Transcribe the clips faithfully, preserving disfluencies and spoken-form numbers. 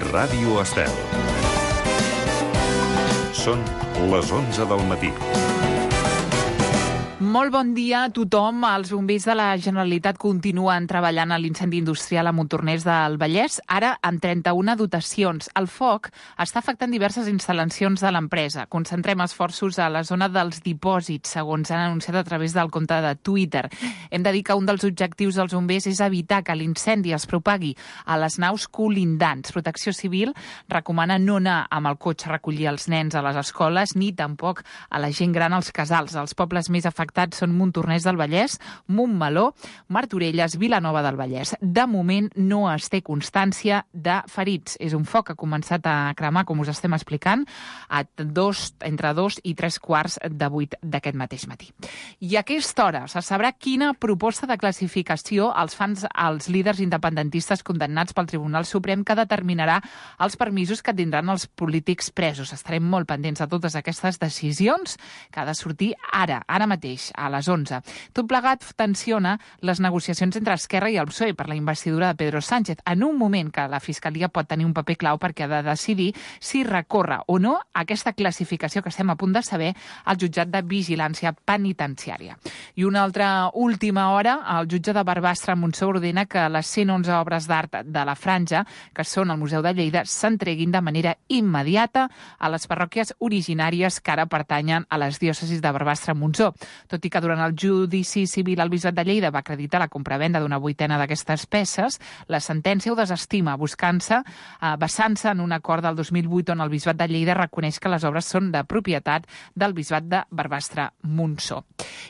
Ràdio Estel. Són les onze del matí. Molt bon dia a tothom. Els bombers de la Generalitat continuen treballant a l'incendi industrial a Montornès del Vallès, ara amb trenta-una dotacions. El foc està afectant diverses instal·lacions de l'empresa. Concentrem esforços a la zona dels dipòsits, segons han anunciat a través del compte de Twitter. Hem de dir que un dels objectius dels bombers és evitar que l'incendi es propagui a les naus colindants. Protecció Civil recomana no anar amb el cotxe a recollir els nens a les escoles ni tampoc a la gent gran als casals. Els pobles més afectats són Montornès del Vallès, Montmeló, Martorelles, Vilanova del Vallès. De moment no es té constància de ferits. És un foc que ha començat a cremar, com us estem explicant, a dos, entre dos i tres quarts de vuit d'aquest mateix matí. I a aquesta hora se sabrà quina proposta de classificació els fan els líders independentistes condemnats pel Tribunal Suprem que determinarà els permisos que tindran els polítics presos. Estarem molt pendents de totes aquestes decisions que ha de sortir ara, ara mateix, a les onze. Tot plegat tensiona les negociacions entre Esquerra i el P S O E per la investidura de Pedro Sánchez, en un moment que la Fiscalia pot tenir un paper clau perquè ha de decidir si recorre o no aquesta classificació que estem a punt de saber al jutjat de vigilància penitenciària. I una altra última hora, el jutge de Barbastre Montsó ordena que les cent onze obres d'art de la Franja, que són al Museu de Lleida, s'entreguin de manera immediata a les parròquies originàries que ara pertanyen a les diòcesis de Barbastre-Montsó. Tot i que durant el judici civil el Bisbat de Lleida va acreditar la compravenda d'una vuitena d'aquestes peces, la sentència ho desestima, buscant-se, eh, basant-se en un acord del dos mil vuit on el Bisbat de Lleida reconeix que les obres són de propietat del Bisbat de Barbastre-Montsó.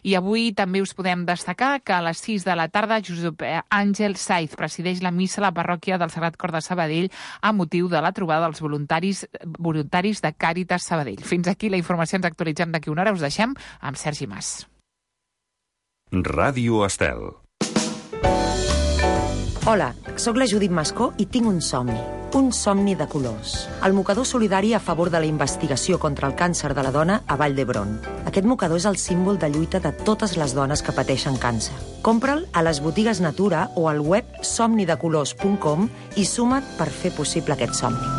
I avui també us podem destacar que a les sis de la tarda Josep Àngel Saiz presideix la missa a la parròquia del Sagrat Cor de Sabadell a motiu de la trobada dels voluntaris, voluntaris de Càritas Sabadell. Fins aquí la informació, ens actualitzem d'aquí una hora, us deixem amb Sergi Mas. Ràdio Estel. Hola, sóc la Judit Mascó i tinc un somni. Un somni de colors. El mocador solidari a favor de la investigació contra el càncer de la dona a Vall d'Hebron. Aquest mocador és el símbol de lluita de totes les dones que pateixen càncer. Compra'l a les botigues Natura o al web somni de colors punt com i suma't per fer possible aquest somni.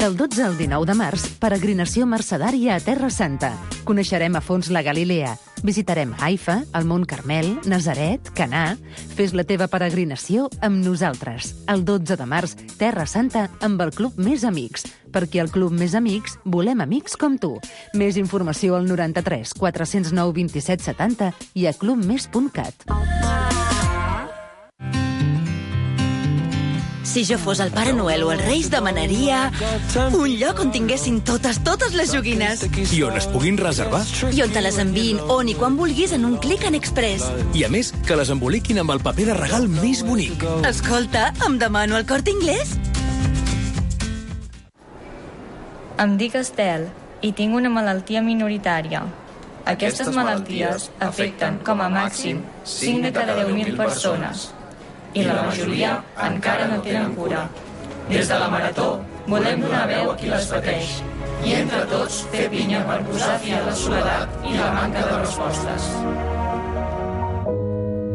Del dotze al dinou de març, peregrinació mercedària a Terra Santa. Coneixerem a fons la Galilea. Visitarem Haifa, el Mont Carmel, Nazaret, Canà. Fes la teva peregrinació amb nosaltres. El dotze de març, Terra Santa amb el Club Més Amics. Perquè al Club Més Amics volem amics com tu. Més informació al noranta-tres quatre-cents nou vint-i-set setanta i a club més punt cat. Si jo fos el Pare Noel o els Reis, demanaria un lloc on tinguessin totes, totes les joguines. I on es puguin reservar. I on te les enviïn on i quan vulguis en un clic en Express. I a més, que les emboliquin amb el paper de regal més bonic. Escolta, em demano el Corte Inglés. Em dic Estel i tinc una malaltia minoritària. Aquestes malalties afecten, com a màxim, cinc de cada deu mil persones. I la majoria encara no tenen cura. Des de la Marató volem donar veu a qui les pateix i entre tots fer pinya per posar fi a la soledat i la manca de respostes.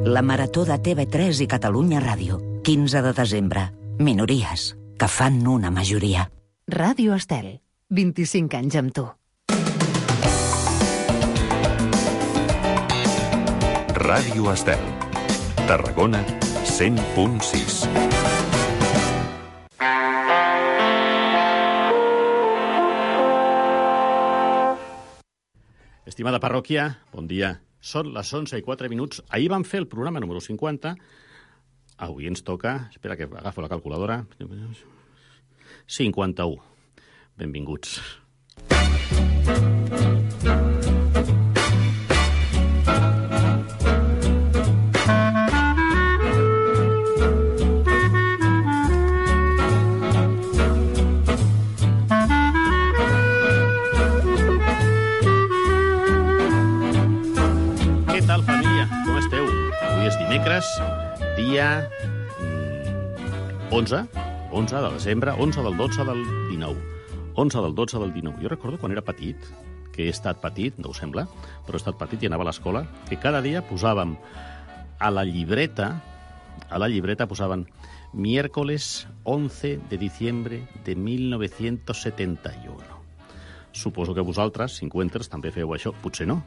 La Marató de T V tres i Catalunya Ràdio, quinze de desembre. Minories, que fan una majoria. Ràdio Estel, vint-i-cinc anys amb tu. Ràdio Estel. Tarragona, cent punt sis. Estimada parròquia, bon dia. Són les onze i quatre minuts. Ahir vam fer el programa número cinquanta. Avui ens toca... Espera que agafo la calculadora. cinquanta-u. Benvinguts. Dimecres, dia onze, onze de desembre, onze del dotze del dinou. onze del dotze del dinou. Jo recordo quan era petit, que he estat petit, no us sembla, però he estat petit i anava a l'escola, que cada dia posàvem a la llibreta, a la llibreta posaven miércoles once de diciembre de mil novecientos setenta y uno. Suposo que vosaltres, cinquanters, també feu això. Potser no,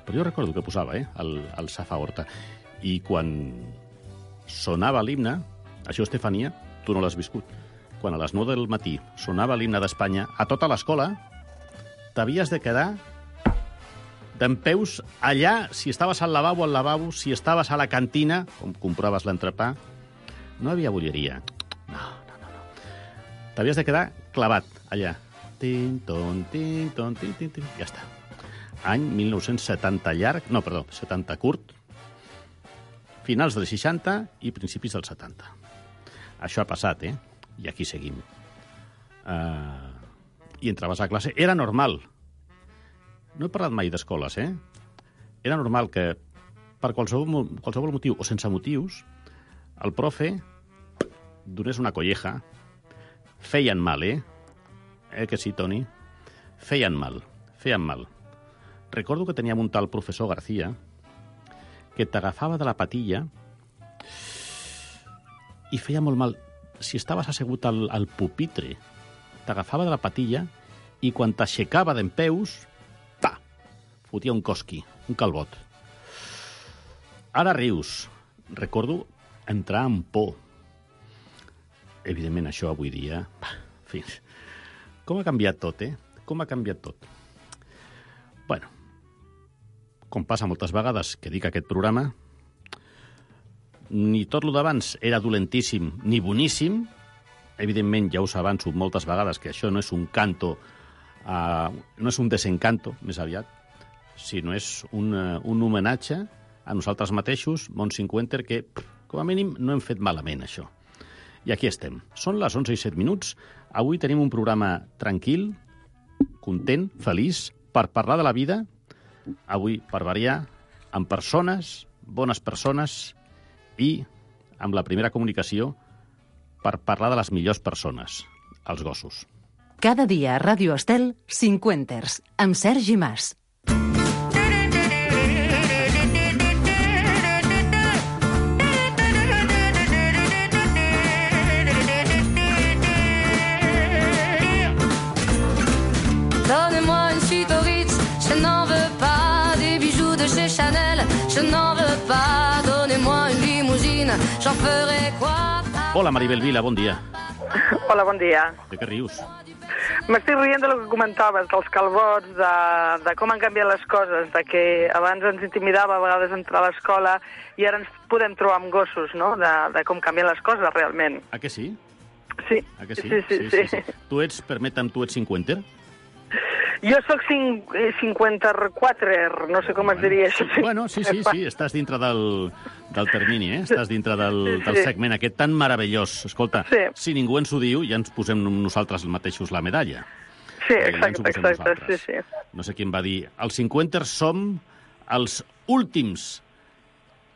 però jo recordo que posava, eh, el, el Safa Horta. I quan sonava l'himne, això, Estefania, tu no l'has viscut, quan a les nou del matí sonava l'himne d'Espanya, a tota l'escola t'havies de quedar dempeus allà, si estaves al lavabo, al lavabo, si estaves a la cantina, com compraves l'entrepà, no havia bolleria. No, no, no. no. T'havies de quedar clavat allà. Tin, ton, tin, ton, tin, tin, tin. Ja està. Any mil nou-cents setanta llarg, no, perdó, setanta curt, finals dels seixanta i principis dels setanta. Això ha passat, eh? I aquí seguim. Uh, I entraves a classe. Era normal. No he parlat mai d'escoles, eh? Era normal que, per qualsevol, qualsevol motiu o sense motius, el profe donés una colleja. Feien mal, eh? Eh que sí, Toni? Feien mal, feien mal. Recordo que teníem un tal professor García que t'agafava de la patilla i feia molt mal. Si estaves assegut al, al pupitre, t'agafava de la patilla i quan t'aixecava dempeus, pa, fotia un cosqui, un calbot. Ara rius. Recordo entrar amb por. Evidentment, això avui dia... Pa, en fi, com ha canviat tot, eh? Com ha canviat tot. Bueno, com passa moltes vegades que dic aquest programa, ni tot lo d'abans era dolentíssim ni boníssim. Evidentment, ja us avanço moltes vegades que això no és un canto, uh, no és un desencanto, més aviat, sinó és un, uh, un homenatge a nosaltres mateixos, Mont cinquanta, que, com a mínim, no hem fet malament, això. I aquí estem. Són les onze i set minuts. Avui tenim un programa tranquil, content, feliç, per parlar de la vida. Avui, per variar, amb persones, bones persones, i amb la primera comunicació per parlar de les millors persones, els gossos. Cada dia a Ràdio Estel, Cinquenters, amb Sergi Mas. Donnez-moi une suite au Ritz, je n'en veux pas. Des bijoux de chez Chanel, je n'en veux pas. Donnez-moi une limousine, j'en ferai quoi? Hola, Maribel Vila, bon dia. Hola, bon dia. De què rius? M'estic rient de lo que comentaves, dels calbots, de, de com han canviat les coses, de que abans ens intimidava a vegades entrar a l'escola i ara ens podem trobar amb gossos, no?, de, de com canvien les coses realment. A que sí? Sí. A que sí? Sí, sí, sí. sí, sí. Tu ets, permeta'm, tu ets cinquenter? Jo sóc cinquanta-quatre, no sé com es diria això. Bueno, sí, sí, sí, estàs dintre del, del termini, eh? Estàs dintre del, sí, sí. del segment aquest tan meravellós. Escolta, sí. Si ningú ens ho diu, ja ens posem nosaltres mateixos la medalla. Sí, exacte, ja exacte, sí, sí. No sé qui em va dir. Els cinquanters som els últims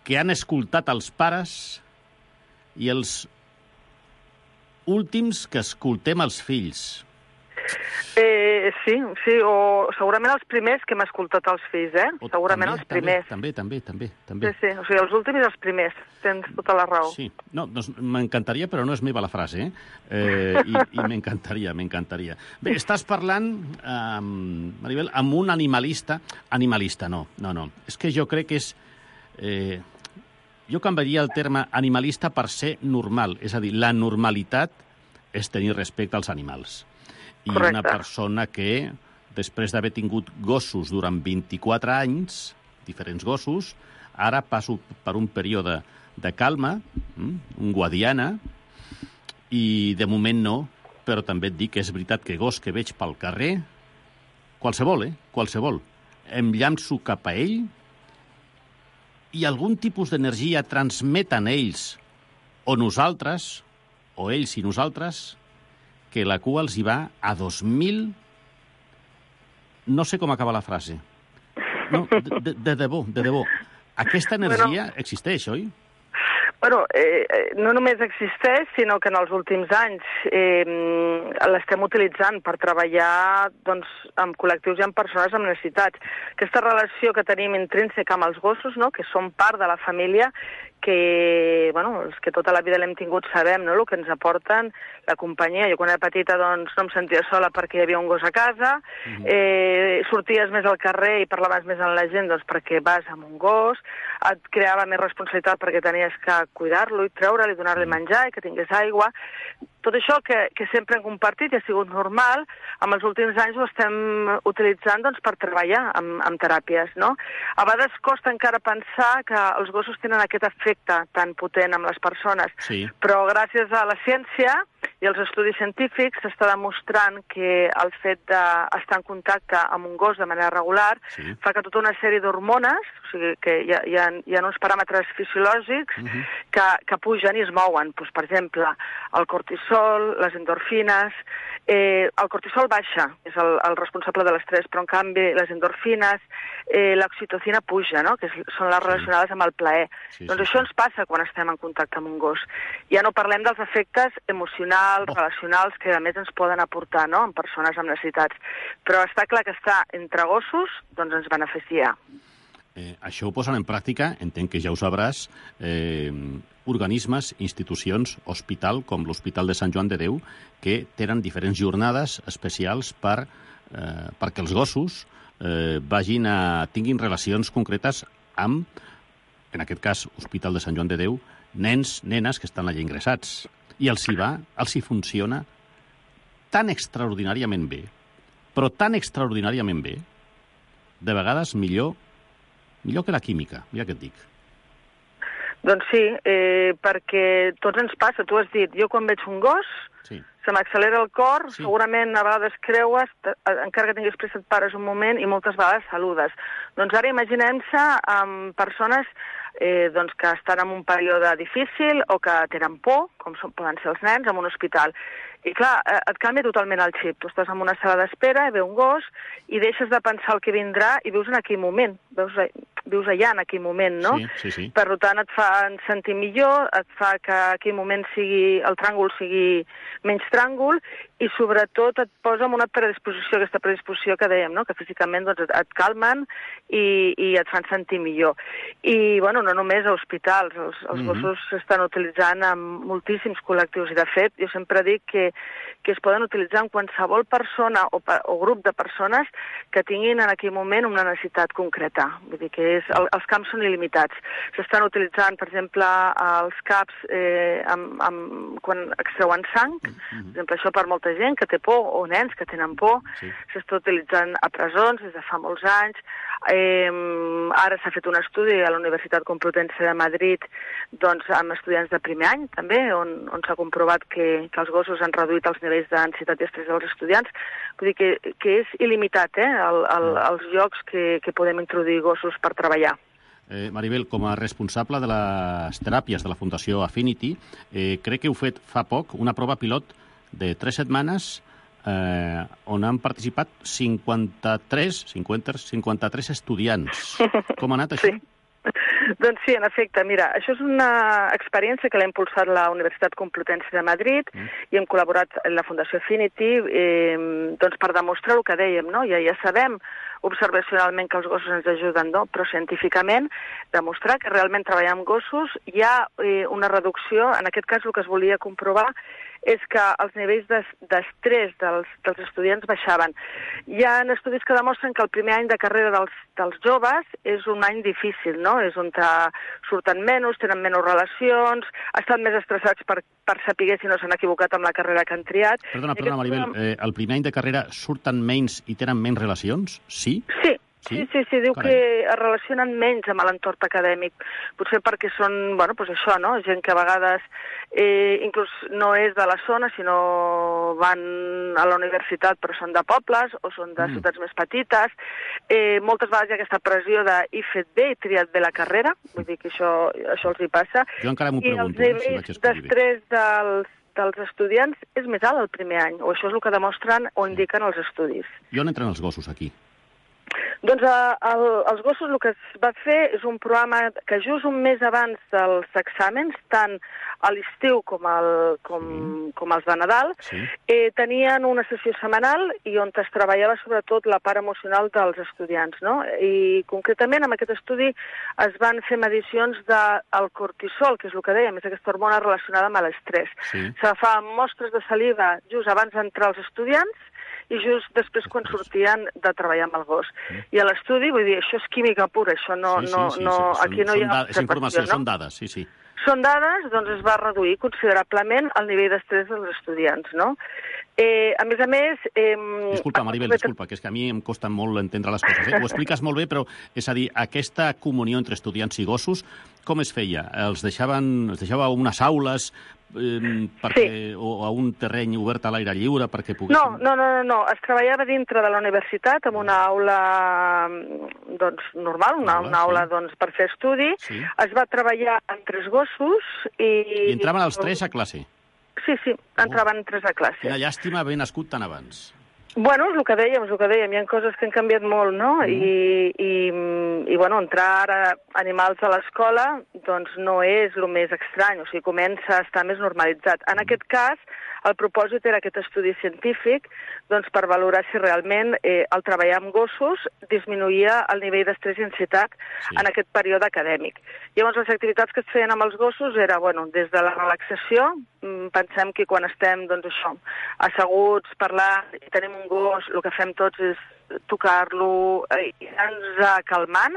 que han escoltat els pares i els últims que escoltem els fills. Eh, sí, sí, o segurament els primers que hem escoltat els fills, eh? O segurament també, els primers. També, també, també, també. Sí, sí, o sigui, els últims i els primers, tens tota la raó. Sí, no, doncs m'encantaria, però no és meva la frase, eh? eh I i m'encantaria, m'encantaria. Bé, estàs parlant, eh, Maribel, amb un animalista... Animalista, no, no, no. És que jo crec que és... Eh, jo canviaria el terme animalista per ser normal, és a dir, la normalitat és tenir respecte als animals. I correcte. Una persona que, després d'haver tingut gossos durant vint-i-quatre anys, diferents gossos, ara passo per un període de calma, un guadiana, i de moment no, però també et dic que és veritat que gos que veig pel carrer, qualsevol, eh? Qualsevol. Em llanço cap a ell i algun tipus d'energia transmeten ells o nosaltres, o ells i nosaltres, que la cua els hi va a dos mil... No sé com acaba la frase. No, de, de, de debò, de debò. Aquesta energia bueno, existeix, oi? Bueno, eh, no només existeix, sinó que en els últims anys eh, l'estem utilitzant per treballar doncs, amb col·lectius i amb persones amb necessitats. Aquesta relació que tenim intrínseca amb els gossos, no?, que són part de la família, que, bueno, els que tota la vida l'hem tingut sabem, no?, el que ens aporten, la companyia. Jo quan era petita doncs, no em sentia sola perquè hi havia un gos a casa, mm-hmm. eh, sorties més al carrer i parlaves més amb la gent doncs, perquè vas amb un gos, et creava més responsabilitat perquè tenies que cuidar-lo i treure'l i donar-li menjar i que tingués aigua. Tot això que, que sempre hem compartit i ha sigut normal, amb els últims anys ho estem utilitzant doncs, per treballar amb, amb teràpies, no? A vegades costa encara pensar que els gossos tenen aquest efecte tan potent amb les persones, sí. Però gràcies a la ciència i als estudis científics s'està demostrant que el fet d'estar en contacte amb un gos de manera regular sí. Fa que tota una sèrie d'hormones, o sigui, que hi ha, hi ha, hi ha uns paràmetres fisiològics uh-huh. que, que pugen i es mouen. Pues, per exemple, el cortisol, les endorfines... Eh, el cortisol baixa, és el, el responsable de l'estrès, però en canvi les endorfines, eh, l'oxitocina puja, no?, que és, són les relacionades amb el plaer. Sí, doncs sí, això sí. Ens passa quan estem en contacte amb un gos. Ja no parlem dels efectes emocionals, oh. relacionals, que a més ens poden aportar, no?, en persones amb necessitats. Però està clar que estar entre gossos doncs ens beneficia. Eh, això ho posen en pràctica, entenc que ja ho sabràs, eh, organismes, institucions, hospital, com l'Hospital de Sant Joan de Déu, que tenen diferents jornades especials per, eh, perquè els gossos eh, vagin a, tinguin relacions concretes amb, en aquest cas, Hospital de Sant Joan de Déu, nens, nenes que estan allà ingressats. I els hi va, els hi funciona tan extraordinàriament bé, però tan extraordinàriament bé, de vegades millor Millor que la química, mira què et dic. Doncs sí, eh, perquè tots ens passa. Tu has dit, jo quan veig un gos, sí. Se m'accelera el cor, sí. Segurament a vegades creues, encara que tinguis pressa et pares un moment i moltes vegades saludes. Doncs ara imaginem-se amb persones eh, doncs que estan en un període difícil o que tenen por, com són, poden ser els nens, en un hospital. I clar, et canvia totalment el xip. Tu estàs en una sala d'espera, ve un gos, i deixes de pensar el que vindrà i vius en aquell moment. Veus, vius allà en aquell moment, no? Sí, sí, sí. Per tant, et fa sentir millor, et fa que aquell moment sigui, el tràngol sigui menys tràngol, i sobretot et posa en una predisposició, aquesta predisposició que dèiem, no?, que físicament doncs, et, et calmen i, i et fan sentir millor. I, bueno, no només a hospitals, els, els mm-hmm. gossos s'estan utilitzant en moltíssims col·lectius, i de fet, jo sempre dic que, que es poden utilitzar en qualsevol persona o, o grup de persones que tinguin en aquell moment una necessitat concreta. Vull dir que és, el, els camps són il·limitats. S'estan utilitzant, per exemple, els caps eh, amb, amb, quan extreuen sang, mm-hmm. per exemple, això per molta gent que té por, o nens que tenen por, sí. S'està utilitzant a presons des de fa molts anys. Eh, ara s'ha fet un estudi a la Universitat Complutense de Madrid doncs, amb estudiants de primer any, també, on, on s'ha comprovat que, que els gossos han reduït els nivells d'ansietat i estrès dels estudiants. Vull dir que, que és il·limitat, eh, el, el, els llocs que, que podem introduir gossos per treballar. Eh, Maribel, com a responsable de les teràpies de la Fundació Affinity, eh, crec que heu fet fa poc una prova pilot de tres setmanes eh, on han participat cinquanta-tres, cinquanta, cinquanta-tres estudiants. Com ha anat això? Sí. Doncs sí, en efecte, mira, això és una experiència que l'ha impulsat la Universitat Complutense de Madrid mm. i hem col·laborat amb la Fundació Affinity eh, doncs per demostrar el que dèiem, no? Ja, ja sabem observacionalment que els gossos ens ajuden, no? Però científicament demostrar que realment treballar amb gossos hi ha eh, una reducció, en aquest cas el que es volia comprovar és que els nivells d'estrès dels, dels estudiants baixaven. Hi ha estudis que demostren que el primer any de carrera dels, dels joves és un any difícil, no? És on surten menys, tenen menys relacions, estan més estressats per, per saber si no s'han equivocat amb la carrera que han triat. Perdona, perdona, Maribel, eh, el primer any de carrera surten menys i tenen menys relacions? Sí? Sí. Sí, sí, sí, sí, diu Carai. Que es relacionen menys amb l'entorn acadèmic. Potser perquè són, bueno, doncs això, no? Gent que a vegades eh, inclús no és de la zona, sinó van a la universitat però són de pobles o són de mm. ciutats més petites. Eh, moltes vegades hi ha aquesta pressió de he fet bé, he triat bé la carrera, vull dir que això, això els hi passa. Jo encara m'ho pregunto. I els nivells si d'estrès dels dels estudiants és més alt el primer any, o això és el que demostren o indiquen els estudis. I on entren els gossos aquí? Doncs a, a, als gossos el que es va fer és un programa que just un mes abans dels exàmens, tant a l'estiu com, el, com, mm. com els de Nadal, sí. eh, tenien una sessió setmanal i on es treballava sobretot la part emocional dels estudiants, no? I concretament amb aquest estudi es van fer medicions del cortisol, que és el que dèiem, és aquesta hormona relacionada amb l'estrès. Sí. S'agafaven mostres de saliva just abans d'entrar els estudiants i just després quan sortien de treballar amb el gos. Mm. I a l'estudi, vull dir, això és química pura, això no... Sí, sí, no, sí, no sí. aquí no hi ha... És informació, no? Són dades, sí, sí. Són dades, doncs es va reduir considerablement el nivell d'estrès dels estudiants, no? Eh, a més a més... Eh, disculpa, Maribel, disculpa, que és que a mi em costa molt entendre les coses. Eh? Ho expliques molt bé, però, és a dir, aquesta comunió entre estudiants i gossos, com es feia? Els deixaven, els deixava unes aules eh, perquè, sí. o a un terreny obert a l'aire lliure perquè poguessin... No, no, no, no, no, es treballava dintre de la universitat amb una aula doncs, normal, una, una aula sí. doncs, per fer estudi. Sí. Es va treballar amb tres gossos i... I entraven els tres a classe? Sí, sí, entraven oh. tres a classe. Quina llàstima haver nascut tan abans. Bueno, és el que dèiem, és el que dèiem. Hi ha coses que han canviat molt, no? Mm. I, i, I, bueno, entrar ara animals a l'escola, doncs no és el més estrany, o sigui, comença a estar més normalitzat. En mm. aquest cas, el propòsit era aquest estudi científic doncs, per valorar si realment eh, el treballar amb gossos disminuïa el nivell d'estrès i ansietat sí. en aquest període acadèmic. Llavors, les activitats que es feien amb els gossos era, bueno, des de la relaxació, pensem que quan estem, doncs això, asseguts, parlant, i tenim un gos, el que fem tots és tocar-lo, eh, anar-nos calmant,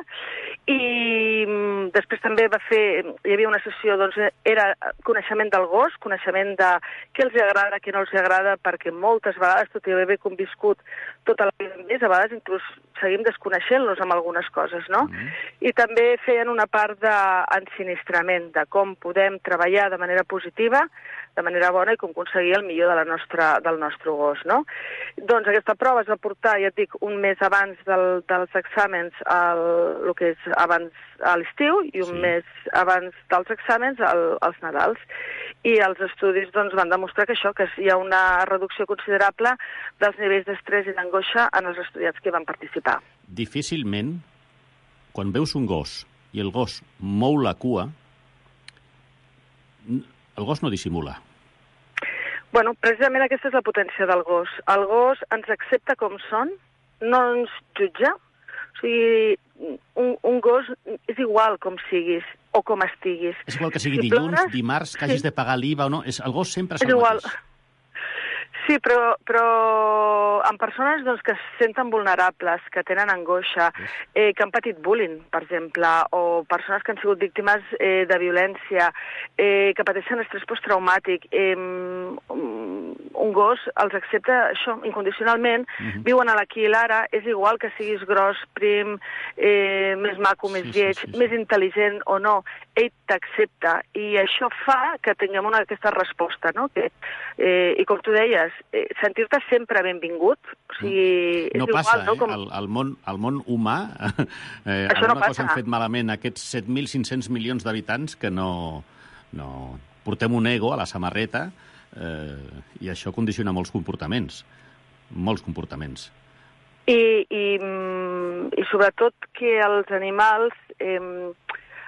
i després també va fer, hi havia una sessió, doncs era coneixement del gos, coneixement de què els agrada, què no els agrada, perquè moltes vegades, tot i haver conviscut tota la vida amb ells, a vegades inclús seguim desconeixent-los amb algunes coses, no? Mm. I també feien una part d'ensinistrament, de com podem treballar de manera positiva, de manera bona, i com aconseguir el millor de la nostra, del nostre gos, no? Doncs aquesta prova es va portar, ja et dic, un mes abans del, dels exàmens, el, el que és abans a l'estiu, i un sí. mes abans dels exàmens al, als Nadals. I els estudis doncs, van demostrar que això, que hi ha una reducció considerable dels nivells d'estrès i d'angoixa en els estudiants que van participar. Difícilment, quan veus un gos i el gos mou la cua, el gos no dissimula. Bueno, precisament aquesta és la potència del gos. El gos ens accepta com són, no ens jutja. O sigui, un, un gos és igual com siguis o com estiguis. És igual que sigui si dilluns, plores, dimarts, que hagis sí. de pagar l'I V A o no. És, el gos sempre és el igual. mateix. Sí, però, però amb persones doncs, que es senten vulnerables, que tenen angoixa, eh, que han patit bullying, per exemple, o persones que han sigut víctimes eh, de violència, eh, que pateixen estrès posttraumàtic, eh, un gos els accepta això incondicionalment, mm-hmm. viuen a l'aquí i l'ara, és igual que siguis gros, prim, eh, més maco, més sí, lleig, sí, sí, sí. més intel·ligent o no, ell t'accepta, i això fa que tinguem una, aquesta resposta, no? Que, eh, i com tu deies, eh, sentir-te sempre benvingut, o sigui, no és passa, igual, no? Com... Eh? El, el, món, el món humà, eh, això alguna no passa. cosa han fet malament aquests set mil cinc-cents milions d'habitants que no, no... Portem un ego a la samarreta eh, i això condiciona molts comportaments, molts comportaments. I, i, i sobretot que els animals... Eh,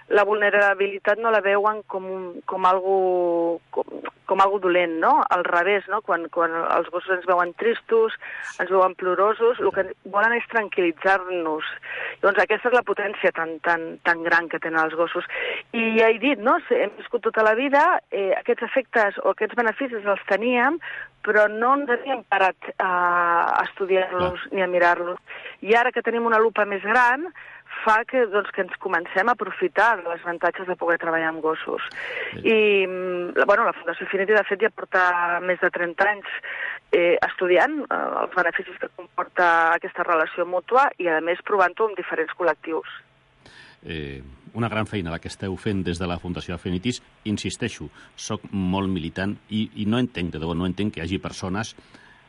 la vulnerabilitat no la veuen com, un, com, algo, com, com algo dolent, no? Al revés, no? Quan, quan els gossos ens veuen tristos, ens veuen plorosos, el que volen és tranquil·litzar-nos. Doncs aquesta és la potència tan, tan, tan gran que tenen els gossos. I ja he dit, no? Hem viscut tota la vida, eh, aquests efectes o aquests beneficis els teníem, però no ens havíem parat a, a estudiar-los ni a mirar-los. I ara que tenim una lupa més gran, fa que, doncs, que ens comencem a aprofitar de les avantatges de poder treballar amb gossos. Sí. I bueno, la Fundació Affinity, de fet, ja porta més de trenta anys eh, estudiant eh, els beneficis que comporta aquesta relació mútua i, a més, provant-ho amb diferents col·lectius. Eh, una gran feina la que esteu fent des de la Fundació Affinities. Insisteixo, soc molt militant i, i no entenc, de debò, no entenc que hi hagi persones,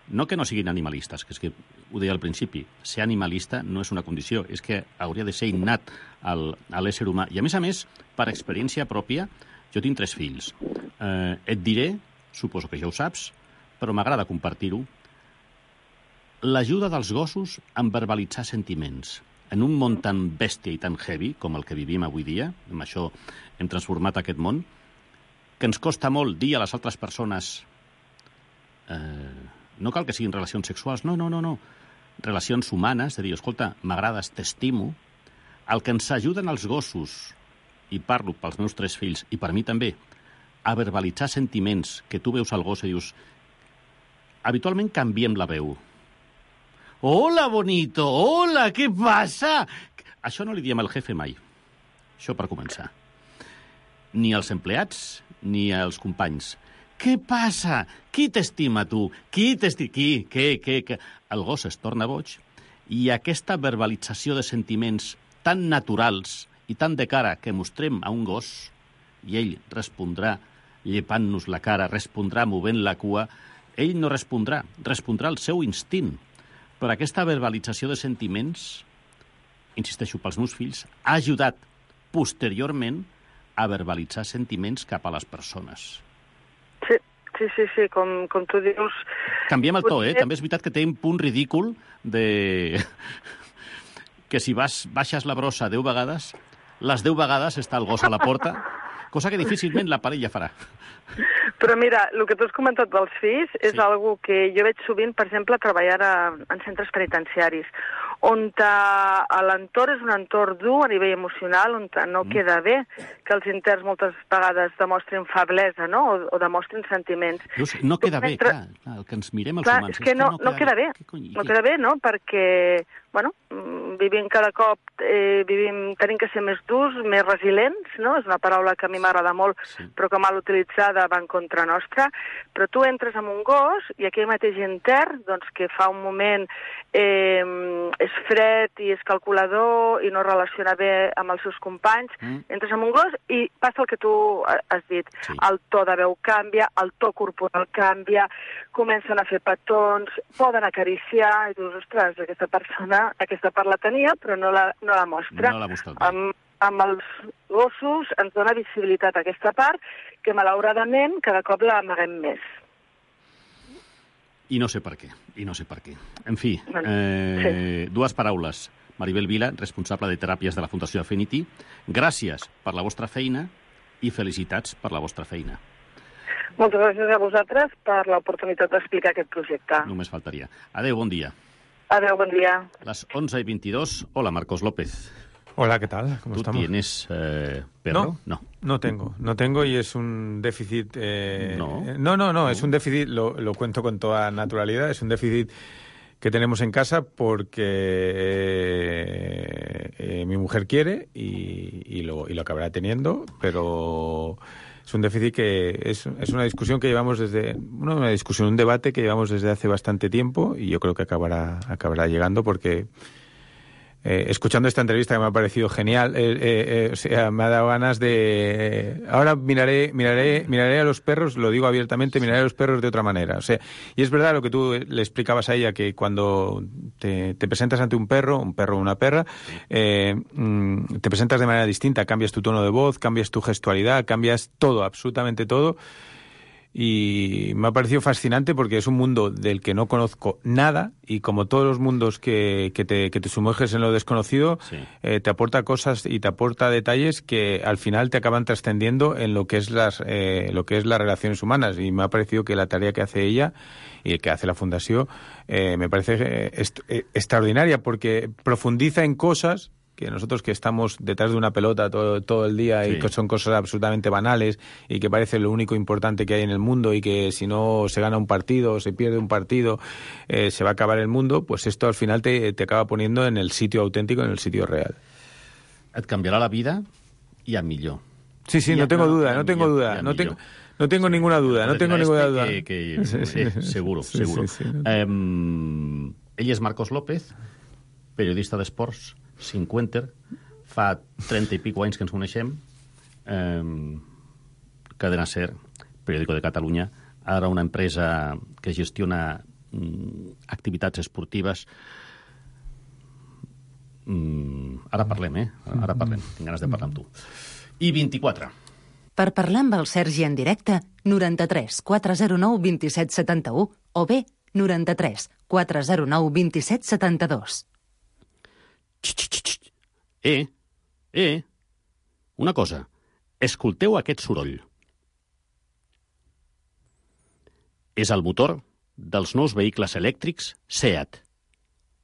no que no siguin animalistes, que és que ho deia al principi, ser animalista no és una condició, és que hauria de ser innat al, a l'ésser humà. I a més a més, per experiència pròpia, jo tinc tres fills. Eh, et diré, suposo que ja ho saps, però m'agrada compartir-ho, l'ajuda dels gossos en verbalitzar sentiments. En un món tan bèstia i tan heavy com el que vivim avui dia, amb això hem transformat aquest món, que ens costa molt dir a les altres persones eh, no cal que siguin relacions sexuals, no, no, no, no. Relacions humanes, de dir, escolta, m'agrades, t'estimo. El que ens ajuden els gossos, i parlo pels meus tres fills, i per mi també, a verbalitzar sentiments que tu veus al gos i dius... Habitualment canviem la veu. Hola, bonito! Hola, què passa? Això no li diem al jefe mai. Això per començar. Ni als empleats, ni als companys. Què passa? Qui t'estima, tu? Qui t'estima? Qui? Què? Què? Què? El gos es torna boig i aquesta verbalització de sentiments tan naturals i tan de cara que mostrem a un gos i ell respondrà llepant-nos la cara, respondrà movent la cua, ell no respondrà, respondrà el seu instint. Però aquesta verbalització de sentiments, insisteixo, pels meus fills, ha ajudat posteriorment a verbalitzar sentiments cap a les persones. Sí, sí, sí, sí, com, com tu dius... Canviem el to, eh? També és veritat que té un punt ridícul de... que si vas, baixes la brossa deu vegades, les deu vegades està el gos a la porta, cosa que difícilment la parella farà. Però mira, el que tu has comentat dels fills és sí. Algo que jo veig sovint, per exemple, treballar a, en centres penitenciaris, on l'entorn és un entorn dur a nivell emocional, on no mm. queda bé que els interns moltes vegades demostrin feblesa, no? o, o demostrin sentiments. Just, no queda bé, mentre... clar, clar, el que ens mirem els clar, humans. És que, és que no, no, queda, no queda bé, bé. no queda bé, no? Perquè, bueno, vivim cada cop, eh, vivim, tenim que ser més durs, més resilients, no? És una paraula que a mi m'agrada molt, sí. Però que mal utilitzada va en contra nostra, però tu entres amb un gos i aquell mateix intern, doncs que fa un moment eh, és fred i és calculador i no relaciona bé amb els seus companys, mm. entres amb un gos i passa el que tu has dit. Sí. El to de veu canvia, el to corporal canvia, comencen a fer petons, poden acariciar, i dius, ostres, aquesta persona, aquesta part la tenia, però no la, no la mostra. No l'ha mostrat. Amb, amb els gossos ens dona visibilitat a aquesta part que, malauradament, cada cop la amaguem més. I no sé per què, i no sé per què. En fi, eh, sí. dues paraules. Maribel Vila, responsable de teràpies de la Fundació Affinity, gràcies per la vostra feina i felicitats per la vostra feina. Moltes gràcies a vosaltres per l'oportunitat d'explicar aquest projecte. Només faltaria. Adéu, bon dia. Adéu, bon dia. Les once y veintidós. Hola, Marcos López. Hola, ¿qué tal? ¿Cómo ¿Tú estamos? tienes eh, perro? No, no, no tengo. No tengo y es un déficit... Eh, no. Eh, no, no, no, es un déficit, lo, lo cuento con toda naturalidad, es un déficit que tenemos en casa porque eh, eh, mi mujer quiere y, y, lo, y lo acabará teniendo, pero... Es un déficit que es, es una discusión que llevamos desde... Bueno, una discusión, un debate que llevamos desde hace bastante tiempo y yo creo que acabará, acabará llegando porque... Eh, escuchando esta entrevista que me ha parecido genial, eh, eh, eh, o sea, me ha dado ganas de... Eh, ahora miraré, miraré, miraré a los perros, lo digo abiertamente, miraré a los perros de otra manera. O sea, y es verdad lo que tú le explicabas a ella, que cuando te, te presentas ante un perro, un perro o una perra, eh, mm, te presentas de manera distinta, cambias tu tono de voz, cambias tu gestualidad, cambias todo, absolutamente todo. Y me ha parecido fascinante porque es un mundo del que no conozco nada y como todos los mundos que, que, te, que te sumerges en lo desconocido, sí. eh, te aporta cosas y te aporta detalles que al final te acaban trascendiendo en lo que es las eh, lo que es las relaciones humanas. Y me ha parecido que la tarea que hace ella y que hace la Fundación eh, me parece est- extraordinaria porque profundiza en cosas que nosotros que estamos detrás de una pelota todo, todo el día sí. y que son cosas absolutamente banales y que parece lo único importante que hay en el mundo y que si no se gana un partido o se pierde un partido eh, se va a acabar el mundo, pues esto al final te, te acaba poniendo en el sitio auténtico, en el sitio real. Et canviarà la vida i a millor. Sí, sí, I no tengo duda, no tengo duda, no tengo... No tengo sí. ninguna duda, no tengo ninguna duda. Que, que, sí, sí. Eh, seguro, sí, seguro. Sí, sí, sí. Eh, ell és Marcos López, periodista d'esports, cinquanta, fa trenta i pico anys que ens coneixem, eh, Cadena Ser, periòdico de Catalunya, ara una empresa que gestiona mm, activitats esportives. Mm, ara parlem, eh? Ara parlem, tinc ganes de parlar amb tu. I vint-i-quatre. Per parlar amb el Sergi en directe, noranta-tres quatre zero nou vint set setanta u o bé noranta-tres quatre zero nou vint-i-set setanta-dos. Eh, eh, una cosa. Escolteu aquest soroll. És el motor dels nous vehicles elèctrics SEAT.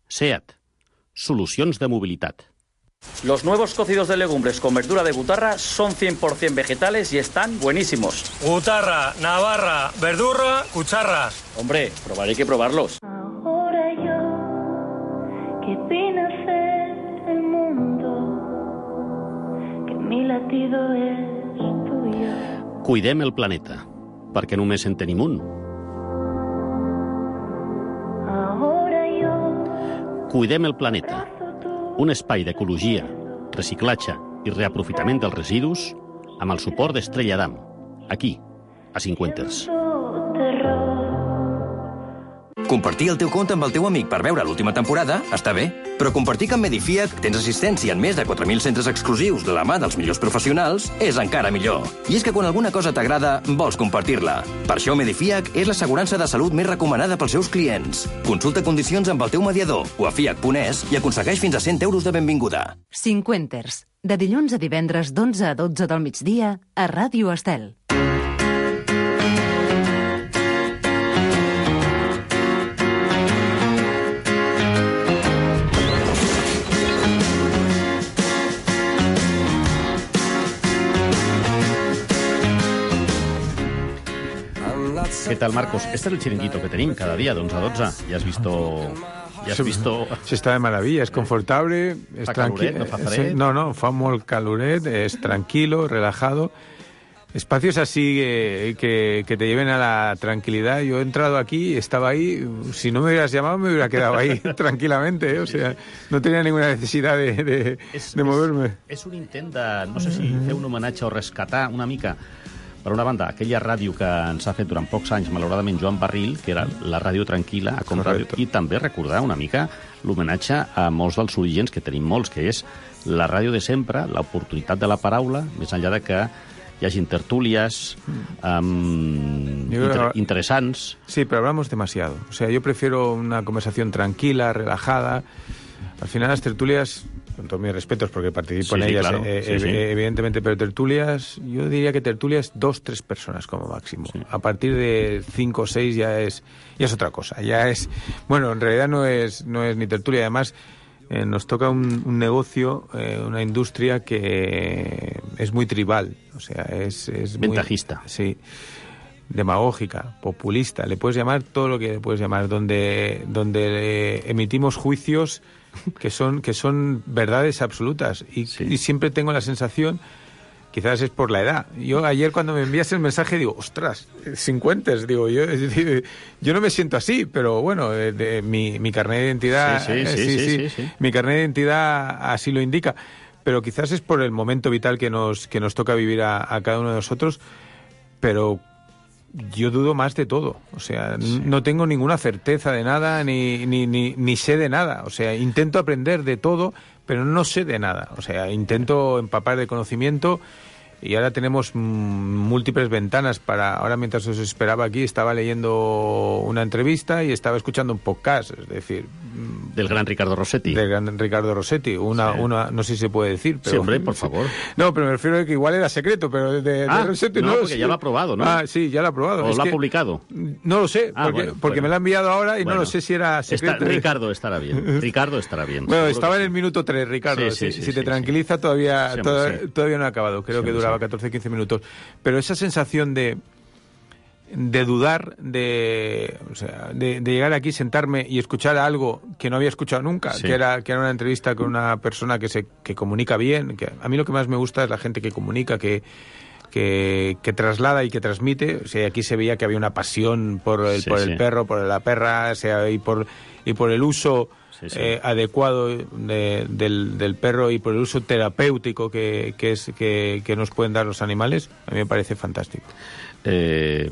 SEAT. Solucions de mobilitat. Los nuevos cocidos de legumbres con verdura de butarra son cien por ciento vegetales y están buenísimos. Butarra, navarra, verdura, cucharras. Hombre, probaré que probarlos. Ahora yo, que vine a ser el mundo, que mi latido es tuyo. Cuidem el planeta, perquè només en tenim un. Ahora yo, Cuidem el planeta. Un espai d'ecologia, reciclatge i reaprofitament dels residus amb el suport d'Estrella Damm, aquí, a Cinquenters. Compartir el teu compte amb el teu amic per veure l'última temporada està bé, però compartir que amb Medifiat tens assistència en més de quatre mil centres exclusius de la mà dels millors professionals és encara millor. I és que quan alguna cosa t'agrada, vols compartir-la. Per això Medifiac és l'assegurança de salut més recomanada pels seus clients. Consulta condicions amb el teu mediador o a fiac punt es i aconsegueix fins a cent euros de benvinguda. Cinquenters, de dilluns a divendres d'onze a dotze del migdia a Ràdio Estel. ¿Qué tal, Marcos? Este es el chiringuito que tenim cada día de once a doce. Ya has visto... Ya has visto... Sí, està de maravilla, és confortable, és fa caluret, no fa fred. No, no, fa molt caluret, es tranquilo, relajado. Espacios así eh, que, que te lleven a la tranquilidad. Yo he entrado aquí, estaba ahí, si no me hubieras llamado me hubiera quedado ahí tranquilamente, ¿eh? O sea, no tenía ninguna necesidad de, de, és, de moverme. És, és un intent de, no sé si fer un homenatge o rescatar una mica, per una banda, aquella ràdio que ens ha fet durant pocs anys, malauradament, Joan Barril, que era la ràdio tranquil·la, a Com Ràdio, i també recordar una mica l'homenatge a molts dels orígens, que tenim molts, que és la ràdio de sempre, l'oportunitat de la paraula, més enllà de que hi hagi tertúlies um, inter interesants. Sí, pero hablamos demasiado. O sea, yo prefiero una conversación tranquila, relajada. Al final las tertulias, con todos mis respetos porque participo sí, en sí, ellas, claro. eh, sí, eh, sí. evidentemente, pero tertulias, yo diría que tertulias dos, tres personas como máximo. Sí. A partir de cinco o seis ya es, ya es otra cosa. Ya es, bueno, en realidad no es, no es ni tertulia, además eh, nos toca un, un negocio, eh, una industria que es muy tribal, o sea, es, es ventajista. Muy, sí. Demagógica, populista, le puedes llamar todo lo que le puedes llamar, donde, donde emitimos juicios que son, que son verdades absolutas y, sí. y siempre tengo la sensación, quizás es por la edad. Yo ayer cuando me envías el mensaje digo, ostras, cincuentes, digo, yo, yo no me siento así, pero bueno, de, de, mi, mi carnet de identidad, sí, sí, sí, sí, sí, sí, sí, sí. mi carnet de identidad así lo indica, pero quizás es por el momento vital que nos, que nos toca vivir a, a cada uno de nosotros, pero yo dudo más de todo, o sea, sí. no tengo ninguna certeza de nada, ni, ni, ni, ni sé de nada, o sea, intento aprender de todo, pero no sé de nada, o sea, intento empapar de conocimiento y ahora tenemos múltiples ventanas para... Ahora mientras os esperaba aquí estaba leyendo una entrevista y estaba escuchando un podcast, es decir... Del gran Ricardo Rossetti. Del gran Ricardo Rossetti, una, sí. una no sé si se puede decir, pero... Sí, hombre, por favor. No, pero me refiero a que igual era secreto, pero de, de, ah, de Rossetti no, no... porque sí. ya lo ha aprobado, ¿no? Ah, sí, ya lo ha aprobado. ¿O es lo que, ha publicado? No lo sé, ah, porque, bueno, porque bueno. me lo ha enviado ahora y bueno, no lo sé si era secreto. Está, Ricardo estará bien, Ricardo estará bien. Bueno, estaba en el minuto tres, Ricardo, sí, sí, si, sí, si te sí, tranquiliza sí. todavía, Sí, todavía, sí. todavía no ha acabado, creo Sí, que duraba sí. catorce quince minutos. Pero esa sensación de... de dudar, de, o sea, de, de llegar aquí, sentarme y escuchar algo que no había escuchado nunca, sí. que era que era una entrevista con una persona que se que comunica bien, que a mí lo que más me gusta es la gente que comunica, que que, que traslada y que transmite. O sea, aquí se veía que había una pasión por el, sí, por sí. el perro, por la perra, o sea, y por y por el uso sí, sí. Eh, adecuado de, del, del perro y por el uso terapéutico que, que es que, que nos pueden dar los animales. A mí me parece fantástico. Eh,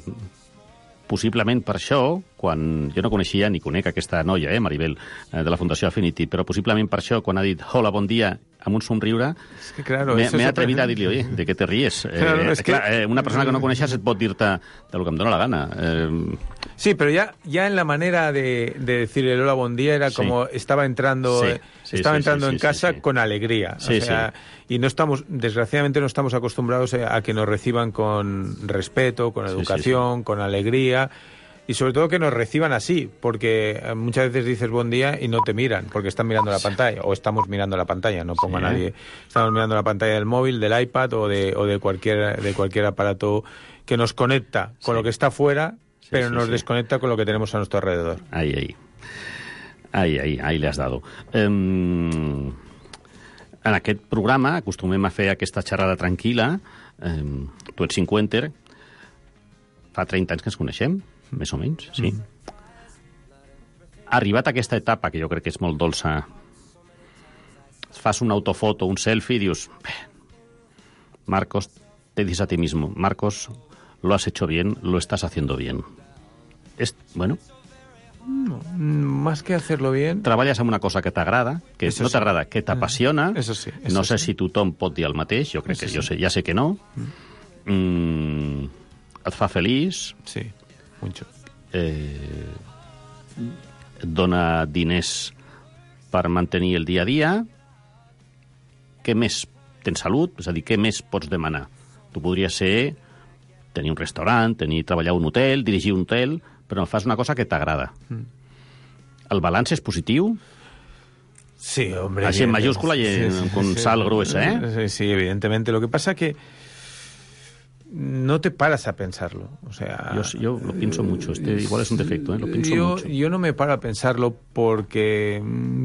possiblement per això, quan jo no coneixia ni conec aquesta noia, eh, Maribel, eh, de la Fundació Affinity, però possiblement per això, quan ha dit hola, bon dia, amb un somriure, es que claro, m'he atrevit a dir-li, oye, de què te ries? Claro, eh, es que... clar, eh, una persona que no coneixes et pot dir-te de lo que em dóna la gana. Eh, Sí, pero ya, ya en la manera de, de decir el hola, buen día, era como sí. estaba entrando, sí, sí, estaba sí, entrando sí, en sí, casa sí, sí. con alegría. Sí, o sea, sí. Y no estamos, desgraciadamente no estamos acostumbrados a que nos reciban con respeto, con educación, sí, sí, sí. con alegría. Y sobre todo que nos reciban así, porque muchas veces dices buen día y no te miran, porque están mirando la pantalla, o estamos mirando la pantalla, no ponga sí. nadie. Estamos mirando la pantalla del móvil, del iPad o de, o de, cualquier, de cualquier aparato que nos conecta con sí. lo que está fuera, sí, pero sí, nos sí. desconecta con lo que tenemos a nuestro alrededor. Ahí, ahí. Ahí, ahí, ahí le has dado. Um, en aquest programa acostumem a fer aquesta xerrada tranquil·la. Um, tu ets cinquanta, fa trenta anys que ens coneixem, més o menys, sí. Mm. Arribat a aquesta etapa, que jo crec que és molt dolça, fas una autofoto, un selfie i dius, Marcos, te dices a ti mismo, Marcos, lo has hecho bien, lo estás haciendo bien. Es, bueno... No, más que hacerlo bien... Treballes en una cosa que t'agrada, que eso no t'agrada, sí. que t'apassiona. Eso sí. Eso no sé sí. si tothom pot dir el mateix, jo crec eso que sí. jo sé, ja sé que no. Mm. Mm, et fa feliç. Sí. Mucho. Eh, et dona diners per mantenir el dia a dia. Què més? Tens salut? És a dir, què més pots demanar? Tu podries ser tenir un restaurant, tenir treballar a un hotel, dirigir un hotel, però fas una cosa que t'agrada. Mm. El balanç és positiu? Sí, hombre. Así en mayúscula y en, sí, sí, con sí, sal gruesa, ¿eh? Sí, sí, evidentemente. Lo que pasa que no te paras a pensarlo, o sea... Yo, yo lo pienso mucho, este igual es un defecto, ¿eh? Lo pienso yo, mucho. Yo no me paro a pensarlo porque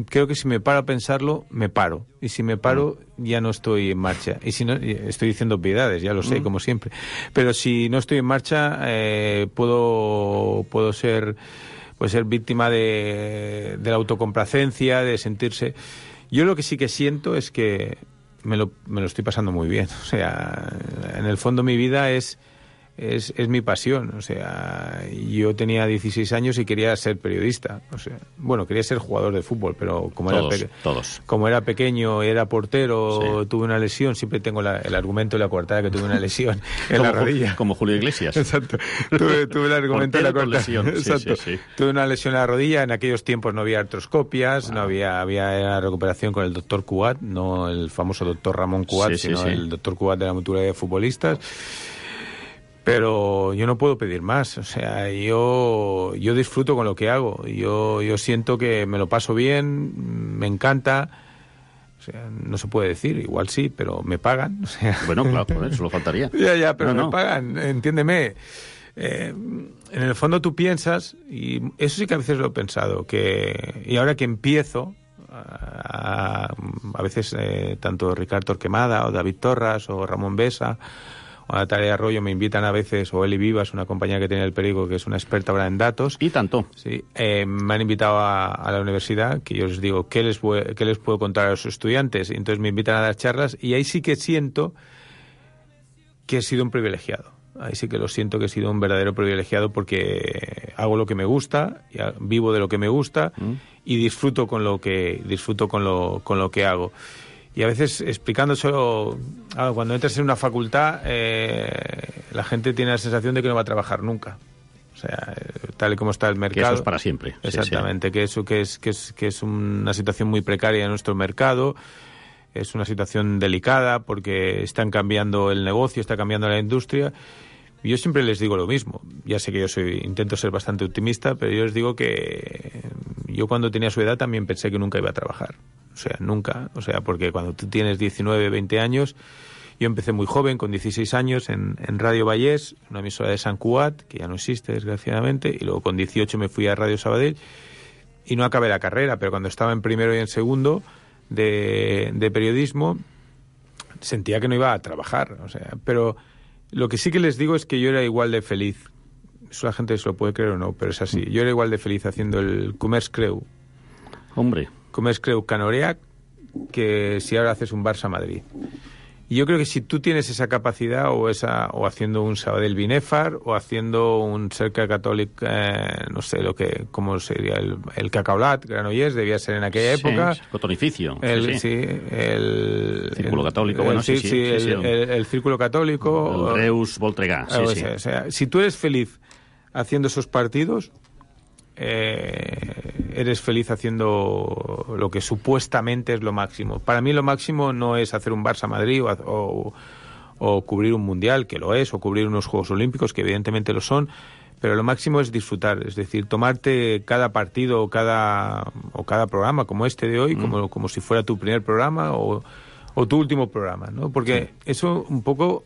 creo que si me paro a pensarlo, me paro. Y si me paro, mm. ya no estoy en marcha. Y si no, estoy diciendo obviedades, ya lo sé, mm. como siempre. Pero si no estoy en marcha, eh, puedo, puedo ser, puedo ser víctima de, de la autocomplacencia, de sentirse... Yo lo que sí que siento es que Me lo, me lo estoy pasando muy bien. O sea, en el fondo mi vida es, es, es mi pasión. O sea, yo tenía dieciséis años y quería ser periodista. O sea, bueno, quería ser jugador de fútbol, pero como, todos, era, pe todos. como era pequeño, era portero, sí. tuve una lesión, siempre tengo la, el argumento de la coartada que tuve una lesión en como, la rodilla. Como Julio Iglesias. Exacto. Tuve, tuve el argumento de la coartada. Lesión. Exacto. Sí, sí, sí. Tuve una lesión en la rodilla. En aquellos tiempos no había artroscopias, wow. no había, había recuperación con el doctor Cugat, no el famoso doctor Ramón Cugat, sí, sí, sino sí. el doctor Cugat de la mutualidad de futbolistas. Pero yo no puedo pedir más, o sea, yo, yo disfruto con lo que hago, yo, yo siento que me lo paso bien, me encanta, o sea, no se puede decir, igual sí, pero me pagan, o sea... Bueno, claro, por eso lo faltaría. Ya, ya, pero no, me no. pagan, entiéndeme. Eh, en el fondo tú piensas, y eso sí que a veces lo he pensado, que y ahora que empiezo, a, a veces eh, tanto Ricardo Torquemada o David Torras o Ramón Besa o Natalia Arroyo me invitan a veces, o Eli Vivas, una compañía que tiene el periódico que es una experta ahora en datos. Y tanto. Sí, eh, me han invitado a, a la universidad, que yo les digo, ¿qué les, ¿qué les puedo contar a los estudiantes? Y entonces me invitan a dar charlas y ahí sí que siento que he sido un privilegiado. Ahí sí que lo siento que he sido un verdadero privilegiado porque hago lo que me gusta, vivo de lo que me gusta mm. y disfruto con lo que disfruto con lo, con lo que hago. Y a veces explicándoselo, cuando entras en una facultad, eh, la gente tiene la sensación de que no va a trabajar nunca. O sea, tal y como está el mercado. Que eso es para siempre. Exactamente, sí, sí. que eso que es, que es, que es una situación muy precaria en nuestro mercado. Es una situación delicada porque están cambiando el negocio, está cambiando la industria. Y yo siempre les digo lo mismo. Ya sé que yo soy intento ser bastante optimista, pero yo les digo que yo cuando tenía su edad también pensé que nunca iba a trabajar. O sea, nunca. O sea, porque cuando tú tienes diecinueve, veinte años, yo empecé muy joven, con dieciséis años, en, en Radio Vallés, una emisora de Sant Cugat, que ya no existe, desgraciadamente, y luego con dieciocho me fui a Radio Sabadell y no acabé la carrera, pero cuando estaba en primero y en segundo de, de periodismo, sentía que no iba a trabajar. O sea, pero lo que sí que les digo es que yo era igual de feliz. Eso la gente se lo puede creer o no, pero es así. Yo era igual de feliz haciendo el Comerç Creu. Hombre. Comerç Creu Canoreac que si ahora haces un Barça Madrid. Y yo creo que si tú tienes esa capacidad, o esa o haciendo un Sabadell Binèfar, o haciendo un Cercle Catòlic, eh, no sé lo que, cómo sería el, el Cacaolat, Granollers, debía ser en aquella sí, época. Cotonificio. El, sí, sí. sí, el... Círculo el, Católico, el, bueno, sí, sí, sí. sí, sí, el, sí. El, el, el Círculo Católico. El Reus Voltregà, sí, o sí. sea, o sea, si tú eres feliz haciendo esos partidos, eh, eres feliz haciendo lo que supuestamente es lo máximo. Para mí lo máximo no es hacer un Barça-Madrid o, o, o cubrir un Mundial, que lo es, o cubrir unos Juegos Olímpicos, que evidentemente lo son, pero lo máximo es disfrutar, es decir, tomarte cada partido o cada, o cada programa como este de hoy, mm. como, como si fuera tu primer programa o, o tu último programa, ¿no? Porque sí. eso un poco...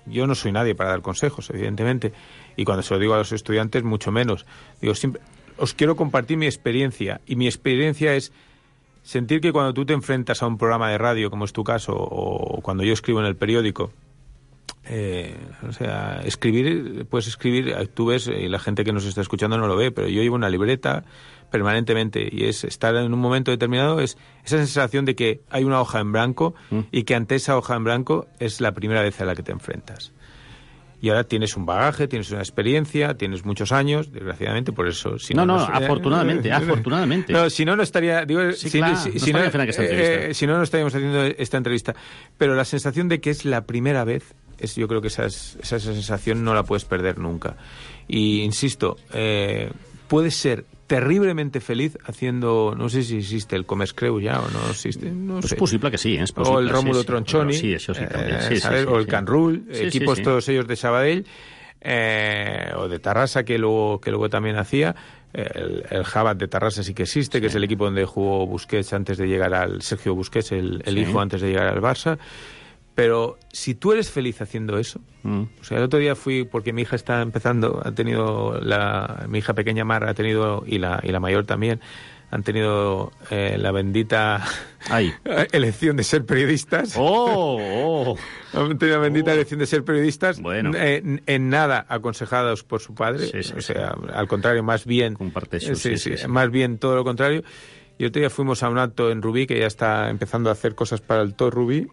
Yo no soy nadie para dar consejos, evidentemente, y cuando se lo digo a los estudiantes, mucho menos. Digo, siempre, os quiero compartir mi experiencia, y mi experiencia es sentir que cuando tú te enfrentas a un programa de radio, como es tu caso, o cuando yo escribo en el periódico, eh, o sea, escribir, puedes escribir, tú ves, y la gente que nos está escuchando no lo ve, pero yo llevo una libreta permanentemente, y es estar en un momento determinado, es esa sensación de que hay una hoja en blanco mm. y que ante esa hoja en blanco es la primera vez a la que te enfrentas. Y ahora tienes un bagaje, tienes una experiencia, tienes muchos años, desgraciadamente, por eso... Si no, no, no, no afortunadamente, afortunadamente. No, si no, no estaría... Digo, sí, si, claro, si, no si, no, esta eh, si no, no estaríamos haciendo esta entrevista. Pero la sensación de que es la primera vez, es, yo creo que esa, esa, esa sensación no la puedes perder nunca. Y, insisto, eh, puedes ser terriblemente feliz haciendo, no sé si existe el Comescreu ya o no existe, no pues sé. Es possible que sí, és possible. O el Rómulo sí, Tronchoni, sí, això sí, també. Sí, eh, sí, ¿sabes? Sí, o el sí. Can Rul, sí, equipos sí, sí. todos ellos de Sabadell, eh, o de Tarrasa, que luego, que luego también hacía. El, el Jabat de Tarrasa sí que existe, sí. que es el equipo donde jugó Busquets antes de llegar al... Sergio Busquets, el, el sí. hijo, antes de llegar al Barça. Pero si tú eres feliz haciendo eso, mm. o sea, el otro día fui, porque mi hija está empezando, ha tenido, la, mi hija pequeña Mar ha tenido, y la, y la mayor también, han tenido eh, la bendita Ay. elección de ser periodistas. ¡Oh! oh. Han tenido la bendita oh. elección de ser periodistas, bueno. en, en nada aconsejados por su padre, sí, sí, o sea, sí. al contrario, más bien... Comparteixo, sí, sí, sí, sí, sí. Más bien todo lo contrario. Y otro día fuimos a un acto en Rubí, que ya está empezando a hacer cosas para el T O Rubí,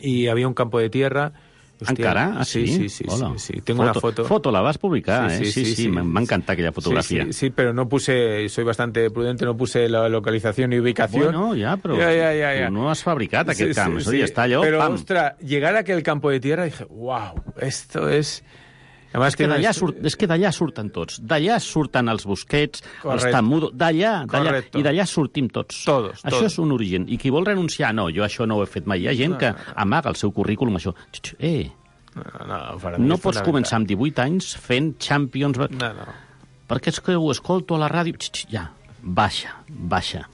y había un campo de tierra. Hostia, ¿Encara? Ah, sí? Sí, sí, sí, sí, sí. Tengo foto, una foto. Foto, la vas publicar, sí, eh? Sí, Sí, sí, sí, sí. m'ha encantat aquella fotografia. Sí, sí, sí, pero no puse, soy bastante prudente, no puse la localización y ubicación. Bueno, ja, però ja, ja, ja, ja. tu no has fabricat aquest sí, camp, sí, és a dir, sí. està allò, Pero, pam. ostras, llegar a aquel campo de tierra, dije, wow, esto es... Además és que, que d'allà no surt, és que d'allà surten tots. D'allà surten els Busquets, Correcte. els Tamudo, d'allà, d'allà, Correcto. i d'allà sortim tots. Todos, Això todos. és un origen. I qui vol renunciar, no, jo això no ho he fet mai. Hi ha gent No, que no, no. amaga el seu currículum, això. Eh, No, no, para mí no es pots fundamental. començar amb divuit anys fent Champions... No, no. Perquè és que ho escolto a la ràdio... Ja, baixa, baixa.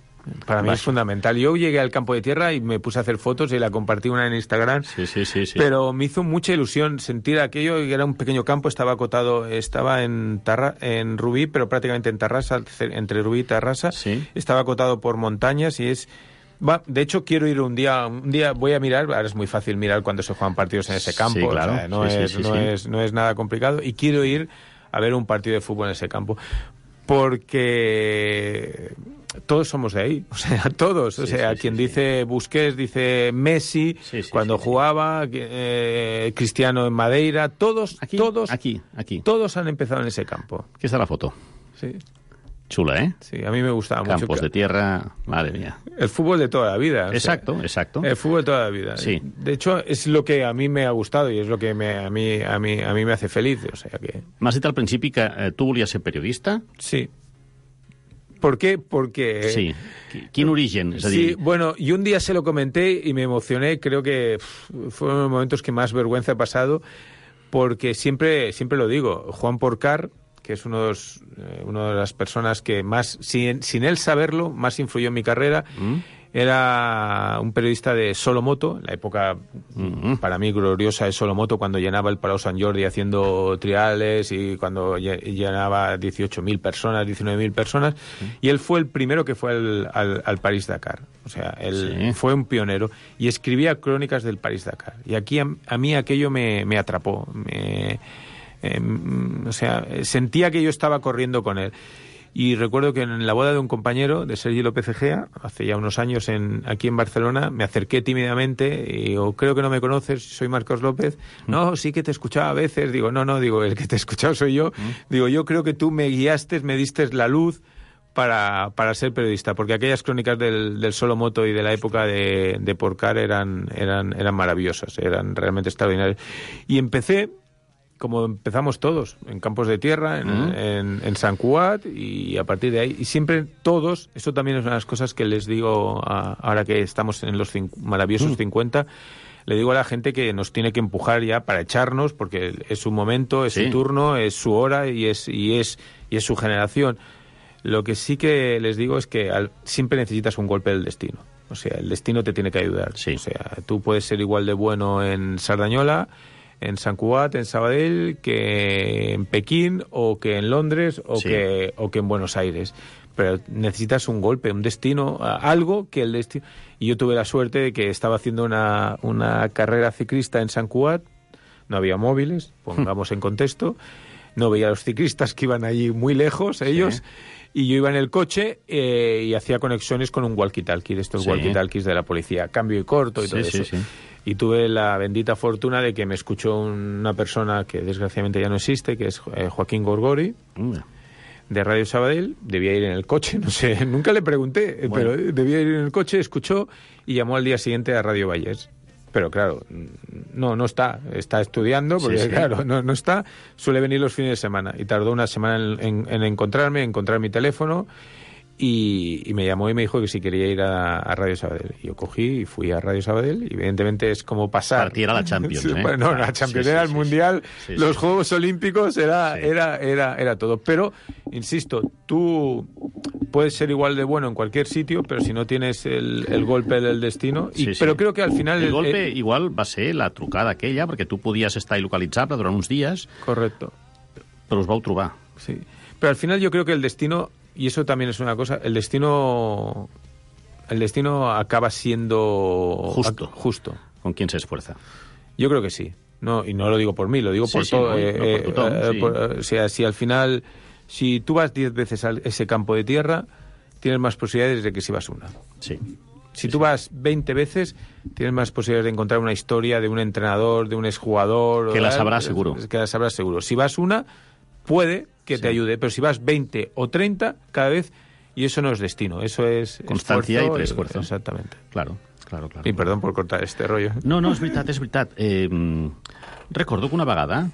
Para mí Baixa. es fundamental. Yo llegué al campo de tierra y me puse a hacer fotos y la compartí una en Instagram. Sí, sí, sí, sí. Pero me hizo mucha ilusión sentir aquello, que era un pequeño campo, estaba acotado, estaba en Tarra, en Rubí, pero prácticamente en Tarrasa, entre Rubí y Tarrasa. Sí. Estaba acotado por montañas y es... Va, de hecho, quiero ir un día, un día voy a mirar, ahora es muy fácil mirar cuando se juegan partidos en ese campo, Sí, claro. o sea, no, Sí, sí, es, sí, no, sí. Es, no es nada complicado, y quiero ir a ver un partido de fútbol en ese campo, porque todos somos de ahí, o sea, todos, o Sí, sea, sí, quien sí, dice Busquets, dice Messi, Sí, sí, cuando sí, sí. jugaba, eh, Cristiano en Madeira, todos, Aquí, todos, aquí, aquí. todos han empezado en ese campo. Aquí està la foto. Sí. Chula, ¿eh? Sí, a mí me gustaba Campos mucho. de tierra, madre mía. El fútbol de toda la vida. o sea, Exacto, exacto. El fútbol de toda la vida. Sí. De hecho, es lo que a mí me ha gustado y es lo que me, a, mí, a, mí, a mí me hace feliz. O sea que... M'has dit al principi que eh, tu volies ser periodista? Sí. ¿Por qué? Porque... Sí. Qui- Quin origen? És a Sí, dir, bueno, y un día se lo comenté y me emocioné. Creo que pff, fueron los momentos que más vergüenza he pasado, porque siempre, siempre lo digo, Juan Porcar, que es uno de, los, eh, una de las personas que más, sin, sin él saberlo, más influyó en mi carrera, mm? era un periodista de Solomoto, la época Mm-hmm. para mí gloriosa de Solomoto, cuando llenaba el Palau Sant Jordi haciendo triales y cuando lle- llenaba dieciocho mil personas, diecinueve mil personas, y él fue el primero que fue al, al, al París-Dakar. O sea, él Sí. fue un pionero y escribía crónicas del París-Dakar. Y aquí a, a mí aquello me, me atrapó, me... Eh, o sea, sentía que yo estaba corriendo con él. Y recuerdo que en la boda de un compañero, de Sergi López Egea, hace ya unos años en, aquí en Barcelona, me acerqué tímidamente y digo, creo que no me conoces, soy Marcos López. No, sí que te escuchaba a veces. Digo, no, no, digo, el que te he escuchado soy yo. Digo, yo creo que tú me guiaste, me diste la luz para, para ser periodista, porque aquellas crónicas del, del Solomoto y de la época de, de Porcar eran, eran, eran maravillosas, eran realmente extraordinarias. Y empecé... como empezamos todos, en campos de tierra, en, mm. en, en Sant Cugat, y a partir de ahí, y siempre todos, eso también es una de las cosas que les digo a, ahora que estamos en los cinc, maravillosos mm. cincuenta, le digo a la gente que nos tiene que empujar ya para echarnos, porque es su momento, es sí. su turno, es su hora y es, y es, y es su generación. Lo que sí que les digo es que al, siempre necesitas un golpe del destino. O sea, el destino te tiene que ayudar. Sí. O sea, tú puedes ser igual de bueno en Sardañola, en Sant Cugat, en Sabadell, que en Pekín, o que en Londres, o, sí. que, o que en Buenos Aires. Pero necesitas un golpe, un destino, algo que el destino... Y yo tuve la suerte de que estaba haciendo una, una carrera ciclista en Sant Cugat, no había móviles, pongamos en contexto, no veía a los ciclistas que iban allí muy lejos, ellos... Sí. Y yo iba en el coche eh, y hacía conexiones con un walkie-talkie, estos sí. walkie-talkies de la policía, cambio y corto y sí, todo sí, eso. Sí. Y tuve la bendita fortuna de que me escuchó una persona que desgraciadamente ya no existe, que es eh, Joaquín Gorgori, mm. de Radio Sabadell. Debía ir en el coche, no sé, nunca le pregunté, bueno. pero debía ir en el coche, escuchó y llamó al día siguiente a Radio Vallés. Pero claro, no, no está, está estudiando, porque sí, sí. claro, no, no está, suele venir los fines de semana, y tardó una semana en, en, en encontrarme, en encontrar mi teléfono, y, y me llamó y me dijo que si quería ir a, a Radio Sabadell. Y yo cogí y fui a Radio Sabadell, y evidentemente es como pasar... Partir a la Champions, ¿eh? Bueno, la Champions sí, era sí, el sí, Mundial, sí, sí, los sí. Juegos Olímpicos, era, sí. era, era, era todo. Pero, insisto, tú puedes ser igual de bueno en cualquier sitio, pero si no tienes el, el golpe del destino... I, sí, sí. Però creo que al final... El, el golpe el, igual va ser la trucada aquella, perquè tu podies estar il·localitzable durant uns dies... Correcto. Però us vau trobar. Sí. Pero al final yo creo que el destino... Y eso también es una cosa, el destino el destino acaba siendo justo, justo. Con quien se esfuerza. Yo creo que sí. No, y no lo digo por mí, lo digo sí, por sí, todo. No, eh, no por tu tom, eh, sí. por, o sea, si al final, si tú vas diez veces a ese campo de tierra, tienes más posibilidades de que si vas una. Sí. Si sí, tú sí. vas veinte veces, tienes más posibilidades de encontrar una historia de un entrenador, de un exjugador. Que la sabrás eh, seguro. Que la sabrás seguro. Si vas una, puede que sí. te ayude, pero si vas veinte o treinta, cada vez... Y eso no es destino, eso es constancia esfuerzo, i preesfuerzo. Exactamente. Claro, claro, claro. I perdó per cortar este rollo. No, no, és veritat, és veritat. Eh, recordo que una vegada,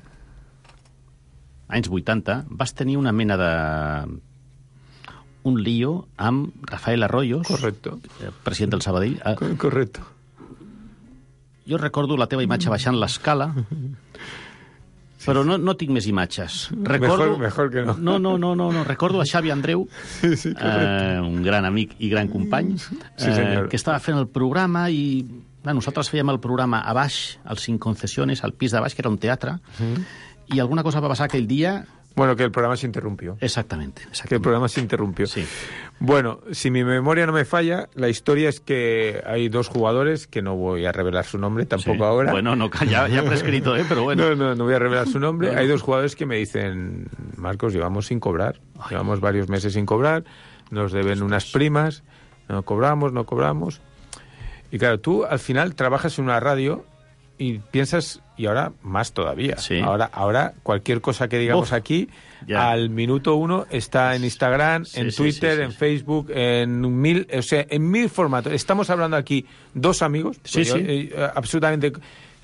anys vuitanta, vas tenir una mena de... un lío amb Rafael Arroyos, correcto. president del Sabadell. Correcto. Jo recordo la teva imatge baixant l'escala, però no, no tinc més imatges. Recordo, mejor, mejor que no. No, no, no, no, no. Recordo a Xavi Andreu, sí, sí, eh, un gran amic i gran company, sí, eh, que estava fent el programa i bueno, nosaltres fèiem el programa a baix, als Cinc Concesiones, al pis de baix, que era un teatre, mm. i alguna cosa va passar aquell dia... Bueno, que el programa se interrumpió. Exactamente, exactamente. Que el programa se interrumpió. Sí. Bueno, si mi memoria no me falla, la historia es que hay dos jugadores, que no voy a revelar su nombre tampoco sí. ahora. Bueno, no, ya, ya prescrito, ¿eh? Pero bueno. No, no, no voy a revelar su nombre. No. Hay dos jugadores que me dicen, Marcos, llevamos sin cobrar. Ay. Llevamos varios meses sin cobrar, nos deben Ostras. unas primas, no cobramos, no cobramos. Y claro, tú al final trabajas en una radio y piensas, y ahora más todavía, sí. ahora ahora cualquier cosa que digamos Uf, aquí, ya. al minuto uno está en Instagram, sí, en sí, Twitter, sí, sí, en sí. Facebook, en mil, o sea, en mil formatos. Estamos hablando aquí dos amigos, sí, yo, sí. Eh, absolutamente...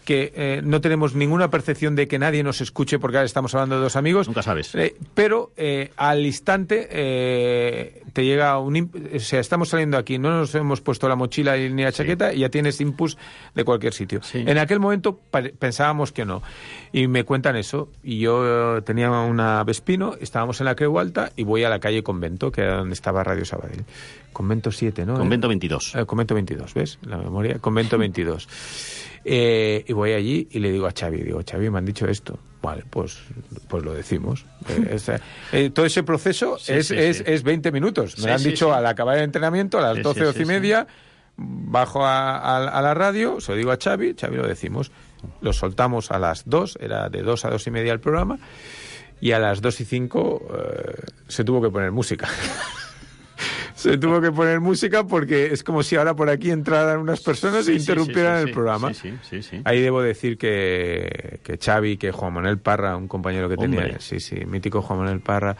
que eh, no tenemos ninguna percepción de que nadie nos escuche porque ahora estamos hablando de dos amigos. Nunca sabes. Eh, pero eh, al instante eh, te llega un... O sea, estamos saliendo aquí, no nos hemos puesto la mochila ni la chaqueta sí. y ya tienes inputs de cualquier sitio. Sí. En aquel momento pensábamos que no. Y me cuentan eso. Y yo tenía una Vespino, estábamos en la Creu Alta y voy a la calle Convento, que era donde estaba Radio Sabadell. Convento siete, ¿no? Convento veintidós. Eh, Convento veintidós, ¿ves? La memoria. Convento veintidós. Eh, y voy allí y le digo a Xavi, digo, Xavi, me han dicho esto. Vale, pues, pues lo decimos. Eh, es, eh, todo ese proceso sí, es, sí, es, sí. es veinte minutos. Me sí, lo han sí, dicho sí. al acabar el entrenamiento, a las sí, doce, sí, doce y sí, media, sí. bajo a, a, a la radio, se lo digo a Xavi, Xavi lo decimos. Lo soltamos a las dos, era de dos a dos y media el programa, y a las dos y cinco eh, se tuvo que poner música. Se tuvo que poner música porque es como si ahora por aquí entraran unas personas sí, e interrumpieran sí, sí, sí, el programa. Sí, sí, sí, sí. Ahí debo decir que, que Xavi, que Juan Manuel Parra, un compañero que Hombre. tenía, sí, sí, mítico Juan Manuel Parra,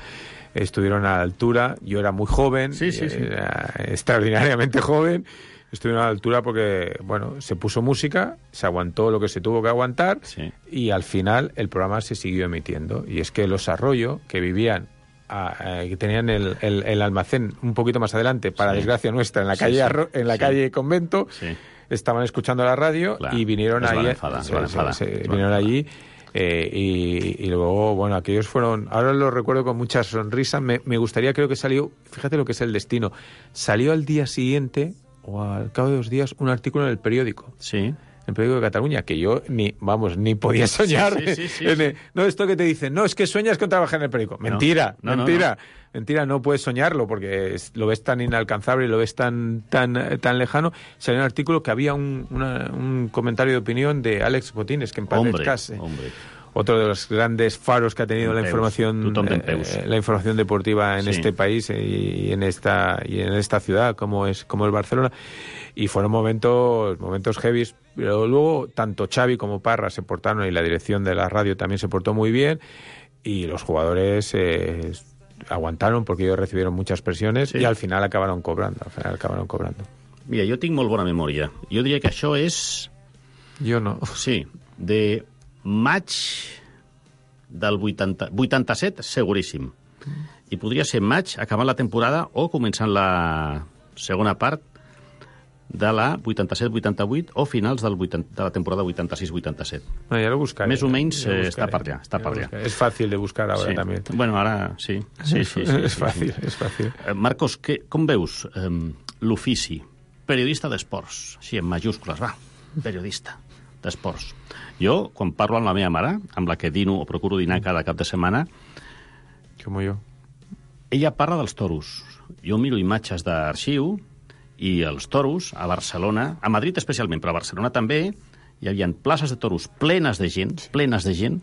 estuvieron a la altura. Yo era muy joven, sí, sí, sí. Era extraordinariamente joven, estuvieron a la altura porque, bueno, se puso música, se aguantó lo que se tuvo que aguantar sí. y al final el programa se siguió emitiendo. Y es que los Arroyo, que vivían, a, a, que tenían el, el, el almacén un poquito más adelante, para sí. desgracia nuestra, en la calle, sí, sí. Arro, en la sí. calle Convento, sí. estaban escuchando la radio claro. y vinieron es ahí, enfada, se, se, se, se, se vinieron allí. Eh, y, y luego, bueno, aquellos fueron... Ahora los recuerdo con mucha sonrisa. Me, me gustaría, creo que salió... Fíjate lo que es el destino. Salió al día siguiente, o al cabo de dos días, un artículo en el periódico. Sí. En el periódico de Cataluña, que yo ni, vamos, ni podía soñar. Sí, sí, sí, sí, en el, sí. No, esto que te dicen, no, es que sueñas con trabajar en el periódico. Mentira, no, no, mentira. No, no. Mentira, no puedes soñarlo porque es, lo ves tan inalcanzable y lo ves tan tan tan lejano. Salió un artículo que había un, una, un comentario de opinión de Àlex Botines, que en paz hombre, descanse. Hombre. Otro de los grandes faros que ha tenido la información eh, la información deportiva en sí. este país y en esta y en esta ciudad como es como el Barcelona, y fueron momentos momentos heavies, pero luego tanto Xavi como Parra se portaron y la dirección de la radio también se portó muy bien y los jugadores eh, aguantaron porque ellos recibieron muchas presiones sí. y al final acabaron cobrando, al final acabaron cobrando. Mira, jo tinc molt bona memòria. Jo diria que això és... Jo no. Sí, de maig del vuitanta, vuitanta-set, seguríssim. I podria ser maig, acabant la temporada, o començant la segona part de la vuitanta-set vuitanta-vuit o finals del vuitanta, de la temporada vuitanta-sis vuitanta-set. No, ja lo buscaré. Més o menys ja eh, està per allà. Està per allà. És fàcil de buscar ara sí. també. Bueno, ara sí. sí, sí, sí és sí, fàcil, sí. és fàcil. Eh, Marcos, que, com veus eh, l'ofici? Periodista d'esports. Sí, en majúscules, va. Periodista d'esports. Jo, quan parlo amb la meva mare, amb la que dino o procuro dinar cada cap de setmana... Com jo. Ella parla dels toros. Jo miro imatges d'arxiu i els toros a Barcelona, a Madrid especialment, però a Barcelona també, hi havia places de toros plenes de gent, plenes de gent,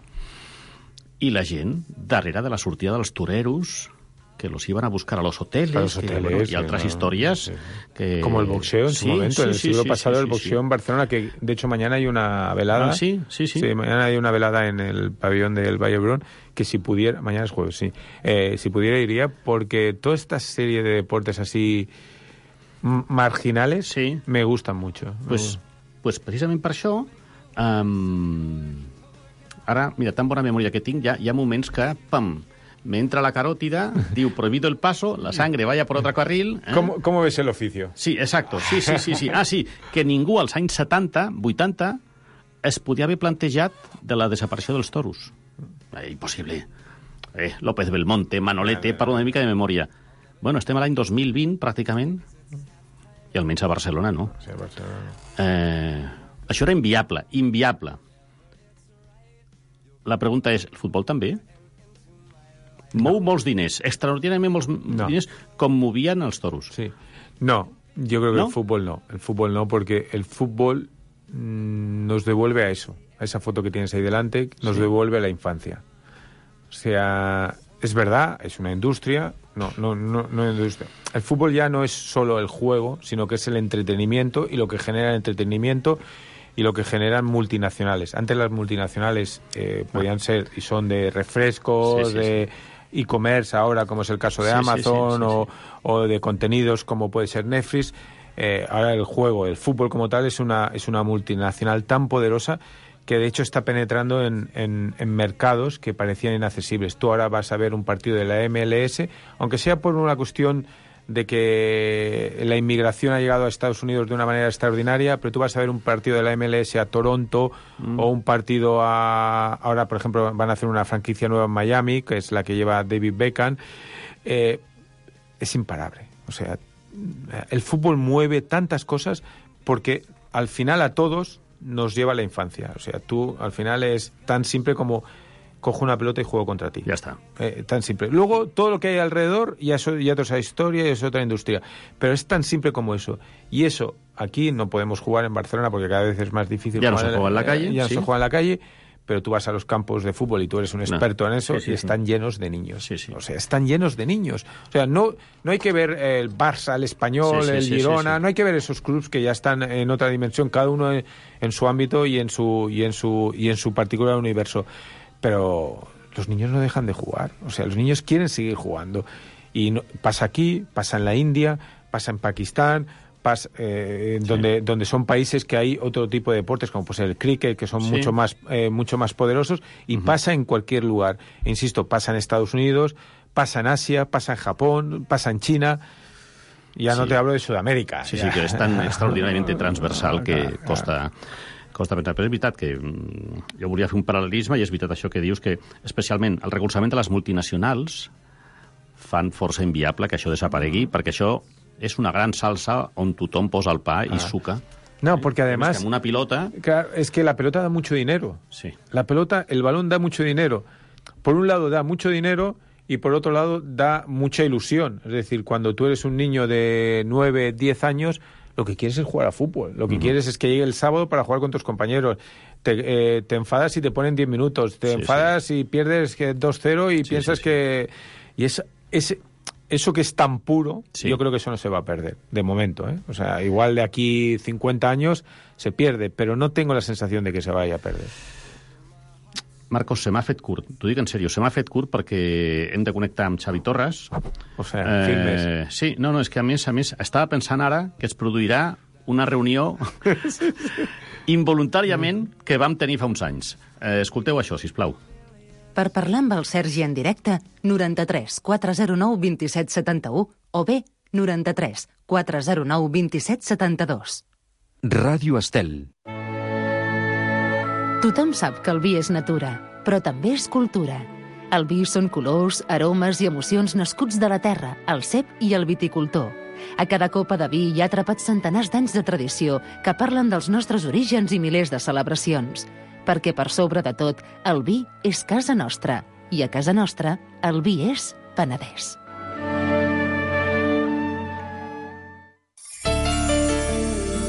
i la gent darrere de la sortida dels toreros que los iban a buscar a los hoteles, a los hoteles que, bueno, y otras no, historias sí. que... Como el boxeo en sí, su momento, sí, en el sí, siglo sí, pasado sí, el sí, boxeo sí. en Barcelona, que de hecho mañana hay una velada. Ah, sí, sí, sí. Sí, mañana hay una velada en el pabellón del Valle Brón, que si pudiera, mañana es jueves, sí, eh, si pudiera iría, porque toda esta serie de deportes así marginales sí. me gustan mucho. Pues, pues precisament per això, um, ara, mira, tan bona memòria que tinc, ja, hi ha moments que, pam, me entra la carótida, diu, prohibido el paso, la sangre vaya por otro carril... Eh? ¿Cómo, ¿Cómo ves el oficio? Sí, exacto, sí, sí, sí, sí. Ah, sí, que ningú als anys setanta, vuitanta, es podia haver plantejat de la desaparició dels toros. Eh, impossible. Eh, López Belmonte, Manolete, parlo una mica de memòria. Bueno, estem a l'any dos mil vint, pràcticament, i almenys a Barcelona, no? Sí, a Barcelona no. Eh, això era inviable, inviable. La pregunta és, el futbol també? Mou molts diners, extraordinàriament molts no. diners, com movien els toros. Sí. No, yo creo que ¿No? el fútbol no. El fútbol no, porque el fútbol mmm, nos devuelve a eso, a esa foto que tienes ahí delante, nos sí. devuelve a la infancia. O sea, es verdad, es una industria, no, no, no, no industria. El fútbol ya no es solo el juego, sino que es el entretenimiento y lo que genera el entretenimiento y lo que generan multinacionales. Antes las multinacionales eh, podían ser y son de refrescos, sí, sí, de... Sí. e-commerce ahora, como es el caso de sí, Amazon, sí, sí, sí, o, sí. o de contenidos como puede ser Netflix. Eh, ahora el juego, el fútbol como tal, es una, es una multinacional tan poderosa que de hecho está penetrando en, en, en mercados que parecían inaccesibles. Tú ahora vas a ver un partido de la M L S, aunque sea por una cuestión de que la inmigración ha llegado a Estados Unidos de una manera extraordinaria, pero tú vas a ver un partido de la M L S a Toronto mm. o un partido a... Ahora, por ejemplo, van a hacer una franquicia nueva en Miami, que es la que lleva David Beckham. Eh, es imparable. O sea, el fútbol mueve tantas cosas porque al final a todos nos lleva a la infancia. O sea, tú al final es tan simple como... cojo una pelota y juego contra ti. Ya está. Eh, tan simple. Luego, todo lo que hay alrededor ya, so, ya es otra historia y es otra industria. Pero es tan simple como eso. Y eso, aquí no podemos jugar en Barcelona porque cada vez es más difícil. Ya no se juega en la calle. Ya no sí. se juega en la calle, pero tú vas a los campos de fútbol y tú eres un experto no. en eso, sí, sí, y están sí. llenos de niños. Sí, sí. O sea, están llenos de niños. O sea, no, no hay que ver el Barça, el Español, sí, sí, el sí, Girona, sí, sí. no hay que ver esos clubes que ya están en otra dimensión, cada uno en, en su ámbito y en su, y en su, y en su particular universo. Pero... los niños no dejan de jugar, o sea, los niños quieren seguir jugando. Y no, pasa aquí, pasa en la India, pasa en Pakistán, pas, eh, sí. donde, donde son países que hay otro tipo de deportes, como pues el cricket, que son sí. mucho más eh, mucho más poderosos, y uh-huh. pasa en cualquier lugar. Insisto, pasa en Estados Unidos, pasa en Asia, pasa en Japón, pasa en China. Ya sí. no te hablo de Sudamérica. Sí, ja. sí, que és tan extraordinàriament transversal que costa... costa pensar, però és veritat que jo volia fer un paral·lelisme, i és veritat això que dius, que especialment el recolzament de les multinacionals fan força inviable que això desaparegui, perquè això és una gran salsa on tothom posa el pa i ah. suca. No, porque además... Una pilota... Claro, es que la pelota da mucho dinero. Sí. La pelota, el balón da mucho dinero. Por un lado da mucho dinero y por otro lado da mucha ilusión. Es decir, cuando tú eres un niño de nueve, diez años, lo que quieres es jugar a fútbol. Lo que uh-huh. quieres es que llegue el sábado para jugar con tus compañeros. Te, eh, te enfadas y te ponen diez minutos. Te sí, enfadas sí. y pierdes dos cero y sí, piensas sí, sí. que... Y es, es, eso que es tan puro, sí. yo creo que eso no se va a perder, de momento. ¿eh? O sea, igual de aquí cincuenta años se pierde, pero no tengo la sensación de que se vaya a perder. Marcos, se m'ha fet curt. T'ho dic en sèrio, se m'ha fet curt perquè hem de connectar amb Xavi Torres. O sigui, eh, filmes. Sí, no, no, és que a més, a més, estava pensant ara que es produirà una reunió involuntàriament que vam tenir fa uns anys. Eh, escolteu això, sisplau. Per parlar amb el Sergi en directe, noranta-tres quatre zero nou vint-i-set setanta-u o bé noranta-tres quatre zero nou vint-i-set setanta-dos. Ràdio Estel. Tothom sap que el vi és natura, però també és cultura. El vi són colors, aromes i emocions nascuts de la terra, el cep i el viticultor. A cada copa de vi hi ha atrapats centenars d'anys de tradició que parlen dels nostres orígens i milers de celebracions. Perquè per sobre de tot, el vi és casa nostra. I a casa nostra, el vi és Penedès.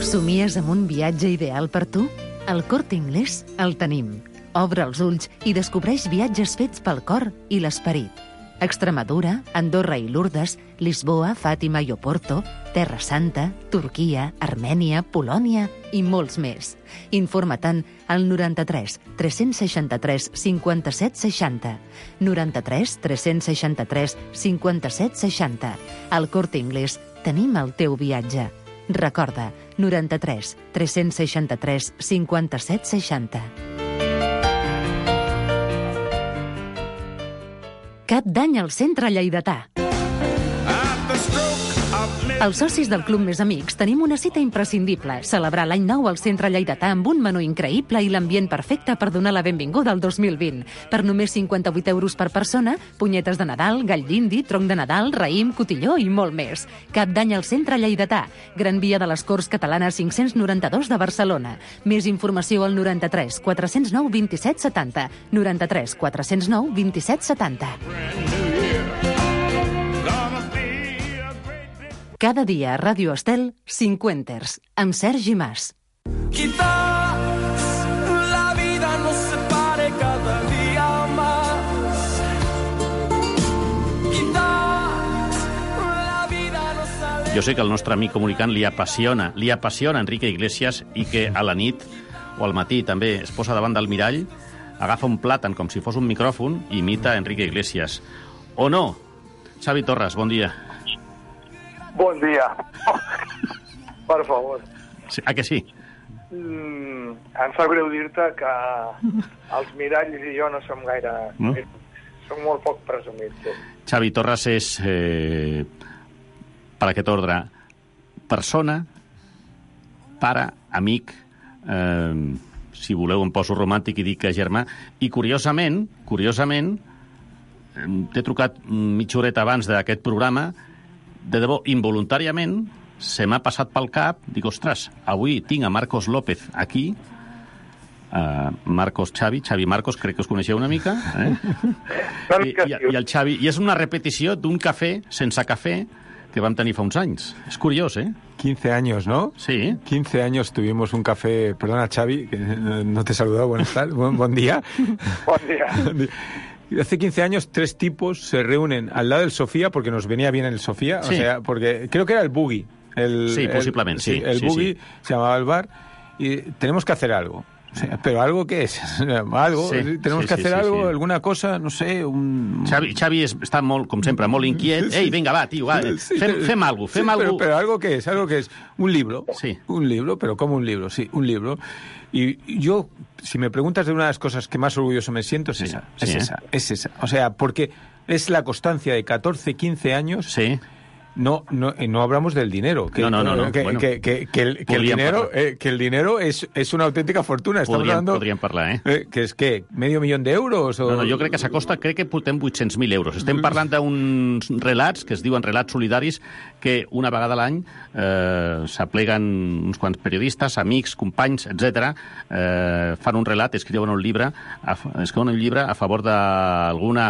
Somies amb un viatge ideal per tu? Al Corte Inglés el tenim. Obre els ulls i descobreix viatges fets pel cor i l'esperit. Extremadura, Andorra i Lourdes, Lisboa, Fàtima i Oporto, Terra Santa, Turquia, Armènia, Polònia i molts més. Informa-te'n al noranta-tres tres seixanta-tres cinquanta-set seixanta. noranta-tres tres seixanta-tres cinquanta-set seixanta. Al Corte Inglés tenim el teu viatge. Recorda, noranta-tres tres seixanta-tres cinquanta-set seixanta. Cap d'any al Centre Lleidatà. Els socis del Club Més Amics tenim una cita imprescindible, celebrar l'any nou al Centre Lleidatà amb un menú increïble i l'ambient perfecte per donar la benvinguda al dos mil vint. Per només cinquanta-vuit euros per persona, punyetes de Nadal, gall d'indi, tronc de Nadal, raïm, cotilló i molt més. Cap d'any al Centre Lleidatà, Gran Via de les Corts Catalanes cinc-cents noranta-dos de Barcelona. Més informació al noranta-tres quatre zero nou vint-i-set setanta. noranta-tres quatre zero nou vint-i-set setanta. Cada dia a Ràdio Estel, Cinquenters, amb Sergi Mas. Quizás la vida nos separe cada día más. Quizás la vida nos aleje. Jo sé que al nostre amic comunicant li apassiona, li apassiona Enrique Iglesias i que a la nit o al matí també es posa davant del mirall, agafa un plàtan com si fos un micròfon i imita Enrique Iglesias. O no? Xavi Torres, bon dia. Bon dia. Per favor. Sí, a que sí? Mm, em fa greu dir-te que els miralls i jo no som gaire... No? Som molt poc presumits. Sí. Xavi Torres és, eh, per aquest ordre, persona, pare, amic, eh, si voleu em poso romàntic i dic que germà, i curiosament, curiosament, t'he trucat mitja horeta abans d'aquest programa. De debò, involuntàriament, se m'ha passat pel cap, dic, ostres, avui tinc a Marcos López aquí, uh, Marcos Xavi, Xavi Marcos, crec que us coneixeu una mica, eh? I, i, i el Xavi, i és una repetició d'un cafè sense cafè que vam tenir fa uns anys. És curiós, eh? quince años, ¿no? Sí. quince años tuvimos un café, perdona Xavi, que no te he saludado, buenas tardes, buen, buen día. Buen día. Hace quince años tres tipos se reúnen al lado del Sofía, porque nos venía bien el Sofía, sí. O sea, porque creo que era el Boogie. El, sí, posiblemente, el, sí. El sí, Boogie sí. se llamaba el bar, y tenemos que hacer algo. O sea, pero algo que es, algo, Sí, tenemos sí, que sí, hacer sí, algo, sí. alguna cosa, no sé, un... Xavi, Xavi és, està molt, com sempre, molt inquiet. Ei, vinga, va, tio, va, Sí, fem, fem alguna cosa, fem sí, alguna pero, pero algo que es, algo que es, un libro, sí. un libro, pero como un libro, sí, un libro. Y yo, si me preguntas de una de las cosas que más orgulloso me siento, es Sí, esa, sí, es ¿eh? esa, es esa. O sea, porque es la constancia de catorce, quince años... Sí. No, no, eh, no hablamos del dinero. Que, No, no, no, no, Que, bueno. que, que, que el, que el Podríem dinero, parlar. eh, que el dinero es, es una auténtica fortuna. Estamos Podríem, hablando, podríem parlar, eh? eh, que és què? Medio milió d'euros? O... No, no, jo crec que s'acosta, crec que portem vuit-cents mil euros. Estem parlant d'uns relats, que es diuen relats solidaris, que una vegada a l'any eh, s'apleguen uns quants periodistes, amics, companys, etcètera, eh, fan un relat, escriuen un llibre, a, escriuen un llibre a favor d'alguna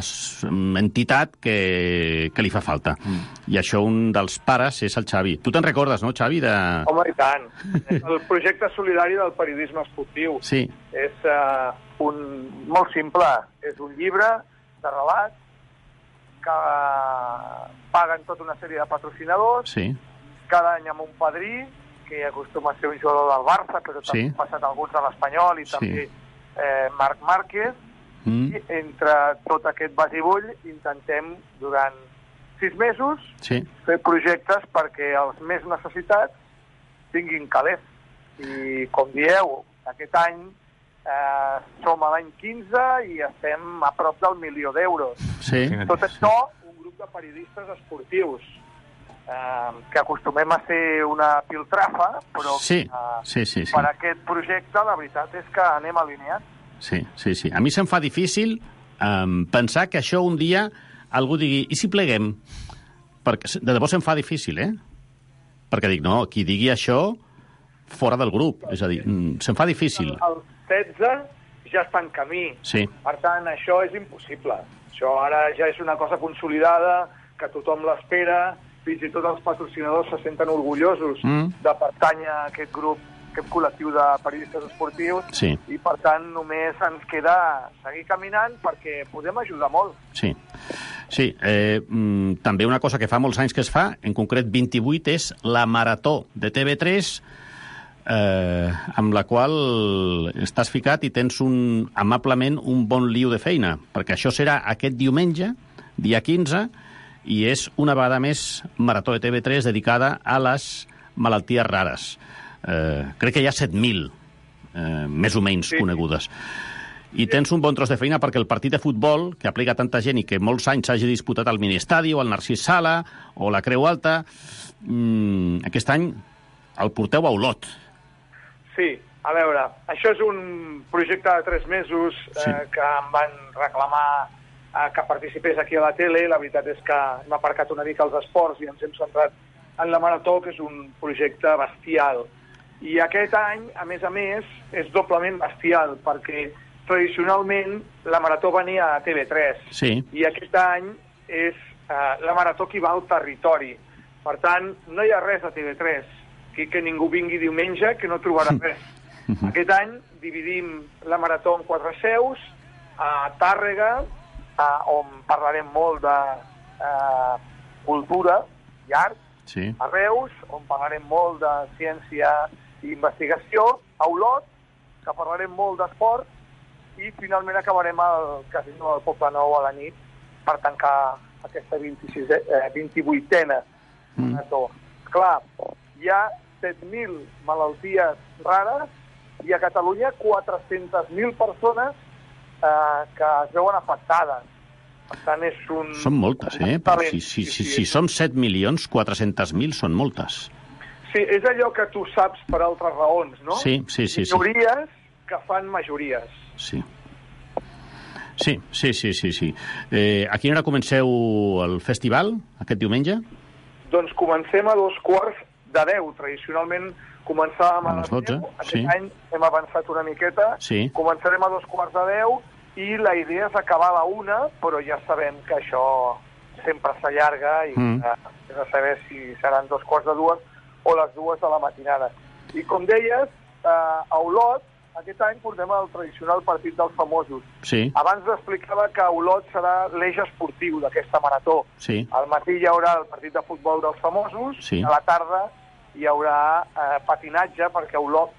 entitat que, que li fa falta. Mm. I això un dels pares és el Xavi. Tu te'n recordes, no, Xavi? De... Home, i tant. El projecte solidari del periodisme esportiu. Sí. És uh, un, molt simple. És un llibre de relats que uh, paguen tota una sèrie de patrocinadors. Sí. Cada any amb un padrí, que acostuma a ser un jugador del Barça, però també Sí. han passat alguns de l'Espanyol i Sí. també eh, Marc Márquez. Mm. I entre tot aquest basibull intentem durant sis mesos Sí. fer projectes perquè els més necessitats tinguin calés. I, com dieu, aquest any eh, som a l'any quinze i estem a prop del milió d'euros. Sí. Tot això, un grup de periodistes esportius eh, que acostumem a ser una piltrafa, però Sí, eh, sí, sí, sí. per aquest projecte la veritat és que anem alineats. Sí, sí, sí. A mi se'm fa difícil um, pensar que això un dia algú digui, i si pleguem? Perquè de debò se'm fa difícil, eh? Perquè dic, no, qui digui això fora del grup. És a dir, mm, se'm fa difícil. El setze ja està en camí. Sí. Per tant, això és impossible. Això ara ja és una cosa consolidada, que tothom l'espera, fins i tot els patrocinadors se senten orgullosos Mm. de pertànyer a aquest grup, aquest col·lectiu de periodistes esportius, Sí. i per tant només ens queda seguir caminant perquè podem ajudar molt. Sí. Sí, eh, mm, també una cosa que fa molts anys que es fa, en concret vint-i-vuit, és la Marató de T V tres, eh, amb la qual estàs ficat i tens un, amablement un bon liu de feina, perquè això serà aquest diumenge, dia quinze, i és una vegada més Marató de T V tres dedicada a les malalties rares. Eh, crec que hi ha set mil, eh, més o menys, sí. conegudes. I tens un bon tros de feina perquè el partit de futbol, que aplica tanta gent i que molts anys s'hagi disputat al Miniestadi o al Narcís Sala o la Creu Alta, mmm, aquest any el porteu a Olot. Sí, a veure, això és un projecte de tres mesos eh, Sí. que em van reclamar eh, que participés aquí a la tele. La veritat és que hem aparcat una mica els esports i ens hem centrat en la Marató, que és un projecte bestial. I aquest any, a més a més, és doblement bestial, perquè tradicionalment la Marató venia a T V tres. Sí. I aquest any és eh, la Marató qui va al territori. Per tant, no hi ha res a T V tres. Aquí que ningú vingui diumenge, que no trobarà res. Aquest any dividim la Marató en quatre seus, a Tàrrega, a, on parlarem molt de eh, cultura i art, Sí. a Reus, on parlarem molt de ciència i investigació, a Olot, que parlarem molt d'esport, i finalment acabarem al Casino del Poble Nou a la nit per tancar aquesta vint-i-sisena, eh, vint-i-vuitena marató. Mm. Clar, hi ha set mil malalties rares i a Catalunya quatre-centes mil persones eh, que es veuen afectades. Per tant, és un... Són moltes, eh? Però si, si, si, si som set milions, quatre-centes mil són moltes. Sí, és allò que tu saps per altres raons, no? Sí, sí, sí. sí. Minories que fan majories. Sí. Sí, sí, sí, sí. sí. Eh, a quina hora comenceu el festival, aquest diumenge? Doncs comencem a dos quarts de deu. Tradicionalment començàvem a, A les dotze, Aquest sí. any hem avançat una miqueta. Sí. Començarem a dos quarts de deu i la idea és acabar a la una, però ja sabem que això sempre s'allarga i Mm. eh, és a saber si seran dos quarts de dues o les dues de la matinada. I com deies, eh, a Olot aquest any portem el tradicional partit dels famosos. Sí. Abans explicava que Olot serà l'eix esportiu d'aquesta marató. Sí. Al matí hi haurà el partit de futbol dels famosos, Sí. a la tarda hi haurà eh, patinatge, perquè Olot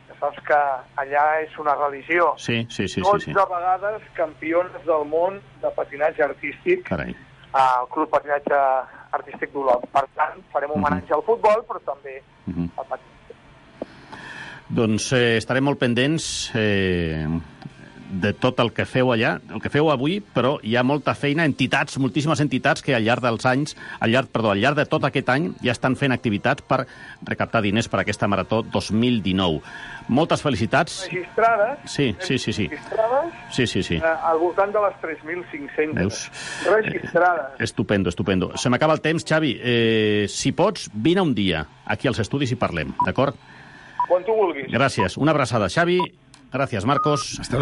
Ja saps que allà és una religió. Sí, sí, sí. dotze sí, sí. vegades campiones del món de patinatge artístic Carai. al Club Patinatge Artístic d'Olot. Per tant, farem un homenatge uh -huh. al futbol, però també uh -huh. al patinatge. Doncs eh, estarem molt pendents eh, de tot el que feu allà, el que feu avui, però hi ha molta feina, entitats, moltíssimes entitats que al llarg dels anys, al llarg, perdó, al llarg de tot aquest any ja estan fent activitats per recaptar diners per aquesta Marató dos mil dinou. Moltes felicitats. Registrades. Sí, sí, sí. sí. Registrades. Sí, sí, sí. Eh, al voltant de les tres mil cinc-centes. Veus? Registrades. Eh, estupendo, estupendo. Se m'acaba el temps, Xavi. Eh, si pots, vine un dia aquí als estudis i parlem, d'acord? Quan tu vulguis. Gràcies. Una abraçada, Xavi. Gràcies, Marcos. Hasta